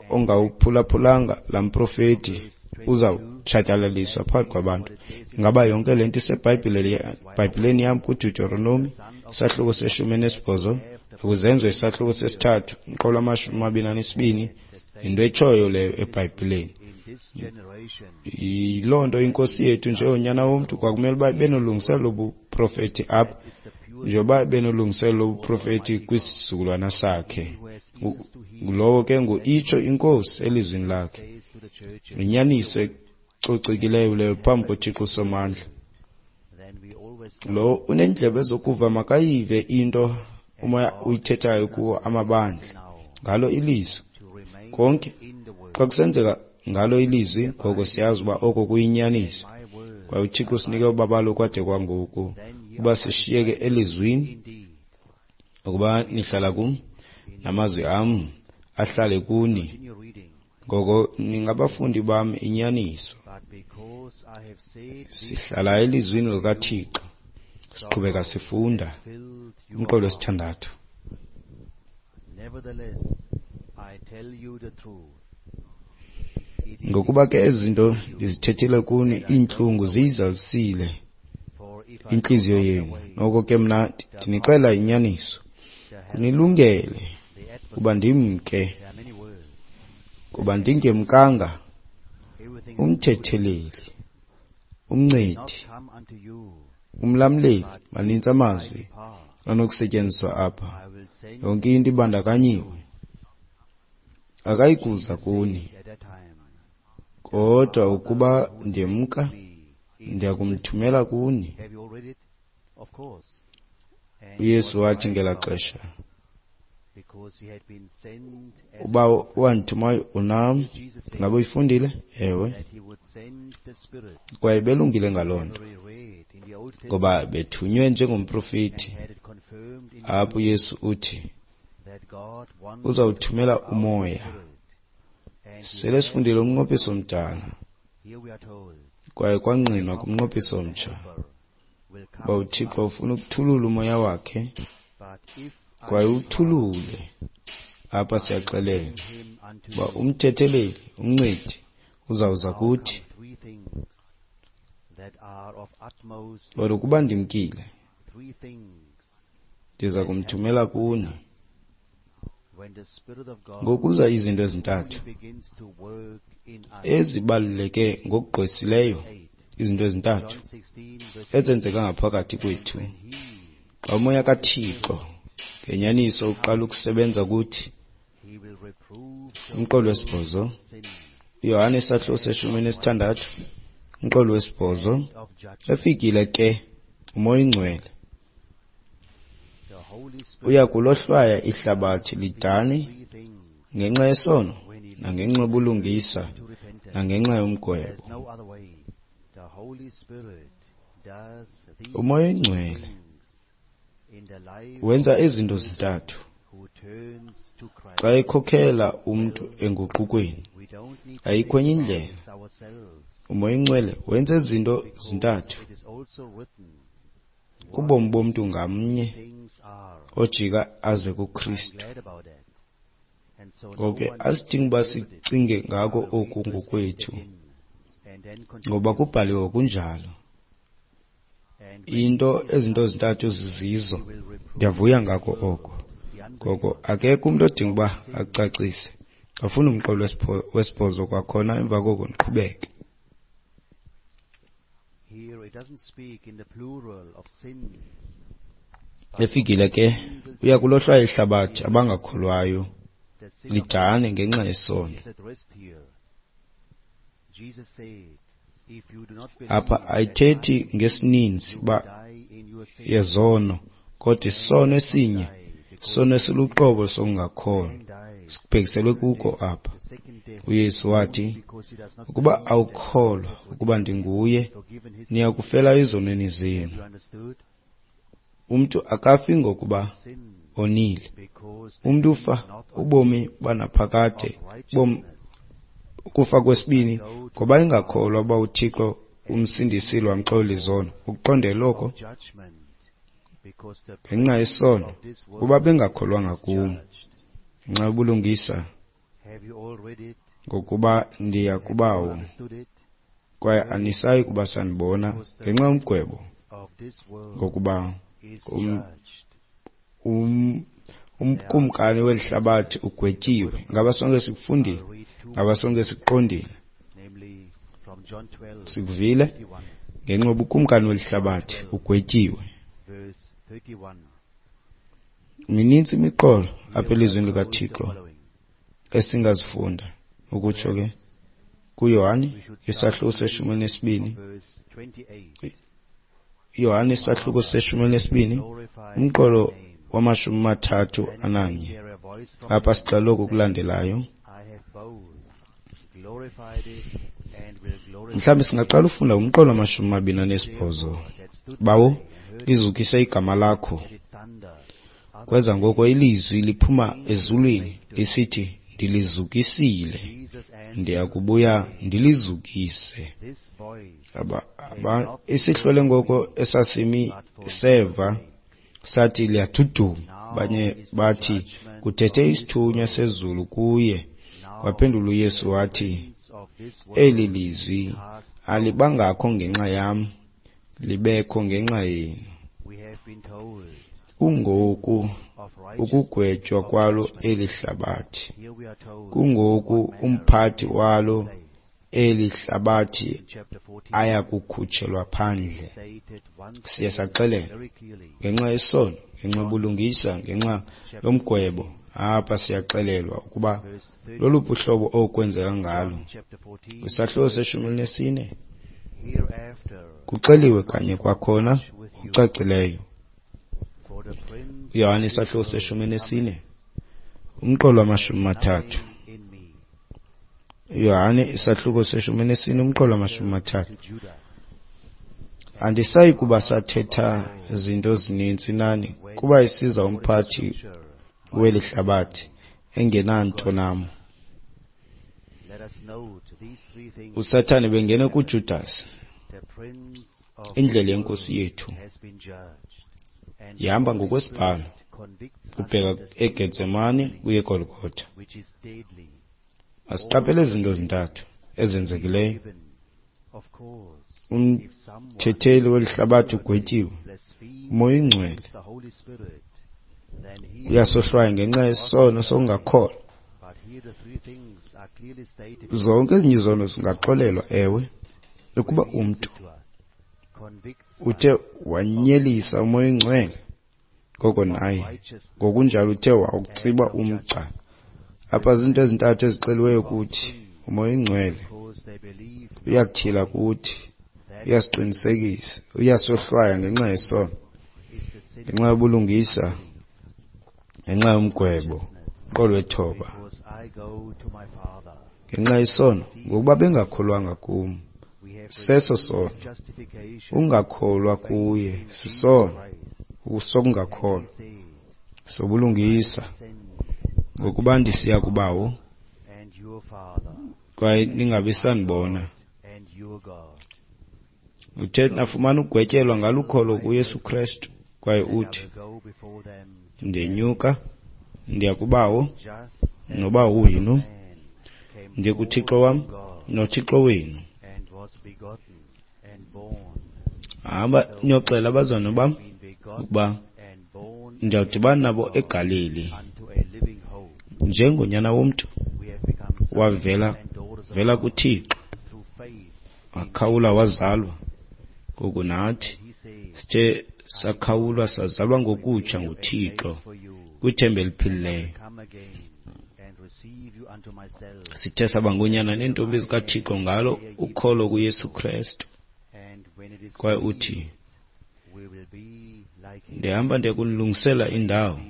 ongawuphulaphulanga laa mprofeti uzawutshatyalaliswa phakathi kwabantu. Ingaba yonke le nto iseBhayibhileni yam kuDeuteronomi isahluko seshumi elinesibhozo, kuZenzo isahluko sesithathu umqolo wamashumi amabini anesibini? Yinto etshoyo leyo eBhayibhileni. Yiloo nto iNkosi yethu njengonyana womntu kwakumele uba benolungiselelo lobuprofeti apha, njengoba benolungiselelo lobuprofeti kwisizukulwana sakhe. Ngulowo ke ngu-itsho iNkosi elizwini lakhe. Yinyaniso ecocekileyo leyo phambi koThixo uSomandla. Lo unendlebe zokuva makayive into umoya uyithethayo kuwo amabandla ngalo ilizwi. Konke xa kusenzeka ngalo ilizwi, ngoko siyazi uba oko kuyinyaniso. Kwaye uThixo usinike ubabalo kwade kwangoku uba sishiyeke elizwini, ukuba nihlala kum namazwi am ahlale kuni, ngoko ningabafundi bam inyaniso. Sihlala elizwini likaThixo, siqhubeka sifunda umqolo wesithandathu. Ngokuba ke ezi zinto ndizithethile kuni, iintlungu ziyizalisile intliziyo yenu. Noko ke mna ndinixelela inyaniso, kunilungele kuba ndimke, kuba ndingemkanga umthetheleli, umncedi, umlamleli. Manintsi amazwi anokusetyenziswa apha, yonke into ibandakanyiwe. Akayikuza kuni, kodwa ukuba ndiyemka, ndiyakumthumela kuni. UYesu wathi ngelaa xesha, uba wandithumayo unam. Ngaba uyifundile? Ewe. Kwaye belungile ngaloo nto, ngoba bethunywe njengomprofeti. Apho uYesu uthi uzawuthumela umoya. Sele sifundile umnqophiso omdala, kwaye kwangqinwa kumnqophiso omtsha uba uThixo ufuna ukuthulula umoya wakhe, kwaye uthulule. Apha siyaxelelwa uba umthetheleli, umncedi, uzawuza kuthi. Kodwa ukuba ndimkile, ndiza kumthumela kuni. Ngokuza izinto ezintathu ezibaluleke ngokugqwesileyo, izinto ezintathu ezenzeka ngaphakathi kwethu xa umoya kaThixo ngenyaniso uqala ukusebenza kuthi. Umqolo wesibhozo, uYohane isahluko seshumi nesithandathu, umqolo wesibhozo. Efikile ke umoya oyingcwele, uya kulohlwaya ihlabathi lidane ngenxa yesono, nangenxa yobulungisa, nangenxa yomgwebo. Umoya oyingcwele wenza izinto zintathu xa ekhokhela umntu enguqukweni. Ayikho enye indlela. Umoya oyingcwele wenza izinto zintathu kubomi bomntu ngamnye ojika aze kuKristu. Ngoko ke asidingi uba sicinge ngako oku ngokwethu, ngoba kubhaliwe kunjalo. Into ezinto zintathu zizizo. Ndiyavuya ngako oko. Ngoko akekho umntu odinga uba acacise. Afuna umqolo wesibhozo kwakhona, emva koko ndiqhubeke. Efikile ke uya kulohlwaya ihlabathi abangakholwayo lidane ngenxa yesono. Apha ayithethi ngesininzi uba yezono, kodwa isono esinye, isono esiluqobo sokungakholwa, sikubhekiselwe kuko apha. UYesu wathi, ukuba awukholwa ukuba ndinguye, niya kufela ezonweni zenu. Umntu akafi ngokuba onile. Umntu ufa ubomi banaphakade, bomi ukufa kwesibini, ngoba engakholwa uba uThixo umsindisile wamxolela izono. Ukuqondela oko ngenxa yesono, kuba bengakholwanga kum. Ngenxa yobulungisa, ngokuba ndiya kubawo, kwaye anisayi kuba sanibona. Ngenxa yomgwebo, ngokuba um, um, umkumkani weli hlabathi ugwetyiwe. Ngaba sonke sikufundile? Ngaba sonke sikuqondile? Sikuvile? Ngenxa yobukumkani weli hlabathi ugwetyiwe. Minintsi imiqolo apha elizwini likaThixo esingazifunda. Ukutsho ke kuYohane isahluko seshumi elinesibini, Yohane isahluko seshumi elinesibini, umqolo wamashumi mathathu ananye. Apha sixela oku kulandelayo. Mhlawumbi singaqala ufunda umqolo wamashumi mabini anesibhozo. Bawo, lizukise igama lakho. Kweza ngoko ilizwi liphuma ezulwini lisithi, ndilizukisile, ndiyakubuya ndilizukise. Aba, aba, isihlwele ngoko esasimi seva sathi liyaduduma. Abanye bathi kuthethe isithunywa sezulu kuye. Waphendula uYesu wathi, eli lizwi alibangakho ngenxa yam, libekho ngenxa yenu. We have been told Kungoku of righteousness, ukugwetywa of kwalo judgment. eli hlabathi. Here we are told Kungoku what manner umphathi of walo place. eli hlabathi In chapter fourteen, aya kukhutshelwa phandle. stated once Siye again saxelelwa very clearly. ngenxa yesono, ngenxa yobulungisa, ngenxa yomgwebo. Apha siyaxelelwa ukuba Verse thirty, loluphi uhlobo okwenzeka ngalo. John chapter fourteen, Kwisahluko seshumi elinesine hereafter kuxeliwe kanye kwakhona with you, ngokucacileyo. for the prince uYohane of this isahluko world seshumi cometh, elinesine umqolo wamashumi mathathu. nothing in me. uYohane isahluko seshumi elinesine umqolo wamashumi mathathu. To Judas, Andisayi kuba sathetha zinto zininzi nani, kuba isiza umphathi scripture, weli hlabathi engenanto nam. let us note these three things. uSathane bengene kuJudas. The prince of Indlela this yenkosi world yethu has been judged, and the ihamba Holy ngokwesibhalo Spirit convicts us ubheka of the sin eGetsemane uye eGolgotha. which is deadly. Masiqaphele izinto ezintathu ezenzekileyo. Given, of course, if someone Umthetheli weli hlabathi ugwetyiwe. blasphemes Umoya oyingcwele the Holy Spirit, then he uyasohlwaya ngenxa yesono sokungakholwa. But here the three things are clearly stated. Zonke ezinye izono zingaxolelwa, ewe, ukuba Reveals umntu it to us, convicts uthe us wanyelisa umoya oyingcwele, ngoko naye righteousness ngokunjalo uthe wawutsiba umgca. Apha zinto ezintathu ezixeliweyo kuthi. Umoya oyingcwele because they believe uyakutyhila kuthi, that uyasiqinisekisa, uyasohlwaya ngenxa yesono, is the sin ngenxa yobulungisa, ngenxa yomgwebo, umqolo wethoba, because I go to my Father. ngenxa yesono, ngokuba bengakholwanga kum. We have Seso received sono. justification Ungakholwa kuye sisono Christ. sokungakholwa, He said, sobulungisa, send ngokuba ndisiya kubawo and your Father kwaye ningabi sanibona. and your God. Uthe nafumana ugwetyelwa ngalukholo kuYesu Kristu, kwaye And I uthi will go before them ndenyuka ndiya kubawo just as nobawo the Son of wenu, Man came ndiye kuThixo forth wam from God noThixo wenu. and was begotten and born, Hamba niyoxela abazalwane bam been begotten ukuba and born ndiyawudibana nabo eGalili unto a living hope. njengonyana womntu We have become sons wavela and daughters of vela God kuThixo, through faith. wakhawula wazalwa. Ngoku nathi He says, sithe sakhawulwa sazalwa ngokutsha "Prepare a nguThixo place for you. kwithemba eliphilileyo. Come again and receive you unto myself. Sithe saba ngoonyana neentombi zikaThixo ngalo ukholo kuYesu Kristu. And when it is Kwaye revealed, uthi we will be like him, ndihamba ndiya kunilungisela indawo, be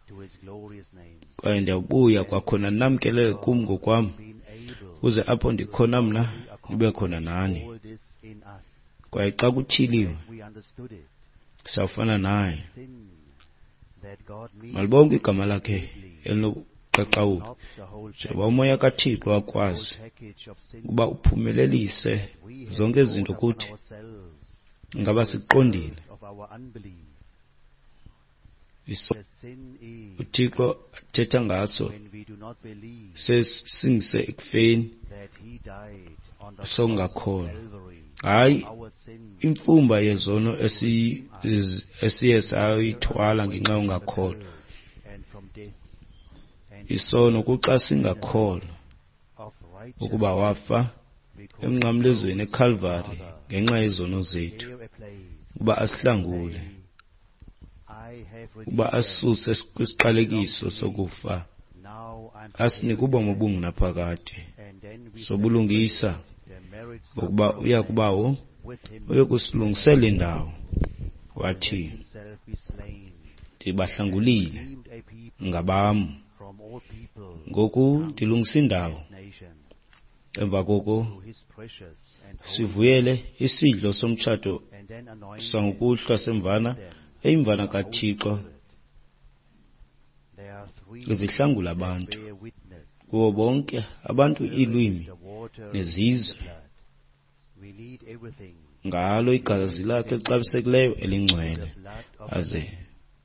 to his glorious name. kwaye ndiyabuya kwakhona namkelele kum ngokwam, Being able ukuze apho ndikhona mna nibe khona nani. all this in us. Kwaye xa kutyhiliwe We understood it. sawufana naye. Sin that God means Malibonke igama lakhe elinobuqaqawuli, not the whole njengoba umoya kaThixo wakwazi package of sin ukuba uphumelelise we have zonke ezi brought zinto upon kuthi. ourselves Ngaba siqondile of our unbelief. Iso- The sin is uThixo athetha ngaso when we do not believe sesingise ekufeni that he died on the cross of sokungakholwa. Calvary Hayi our sins imfumba yezono esiyi- ezi- esiye sayithwala ngenxa yongakholwa. and from death and Isono kuxa singakholwa of ukuba righteousness wafa because emnqamlezweni eKalvari ngenxa yezono zethu, prepare a place. ukuba asihlangule, I have ukuba redeemed them. asisuse kwisiqalekiso sokufa, Now I'm asinike ubomi obungunaphakade and then we sobulungisa, the marriage ngokuba uya kubawo with him uyokusilungisela indawo. Wathi himself be slain ndibahlangulile, redeemed a people ngabam. from all people Ngoku ndilungisa indawo. nations Emva koko through his precious and holy sivuyele isidlo somtshato and then anointed sangokuhlwa semvana, them eyimvana with the Holy kaThixo Spirit. There are three izihlangula abantu bear witness kuwo bonke abantu iilwimi the water and nezizwe the blood. We need everything. ngalo igazi lakhe elixabisekileyo elingcwele, The blood of aze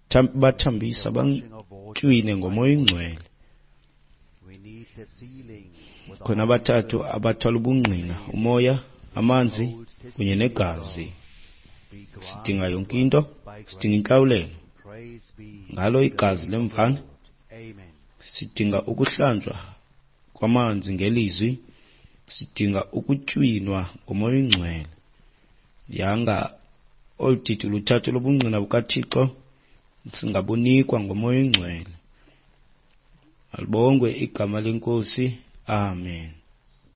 tham- bathambisa washing of water. bantywine ngomoya oyingcwele. We need the sealing with the Khona Holy abathathu Spirit. abathwala ubungqina, umoya, amanzi kunye negazi. Sidinga yonke into, sidinga intlawulelo ngalo igazi lemvana. Sidinga ukuhlanjwa kwamanzi ngelizwi, sidinga ukutywinwa ngoMoya oyiNgcwele. Yanga olu didi luthathu lobungqina bukaThixo singabunikwa ngoMoya oyiNgcwele. Malibongwe igama leNkosi. Amen.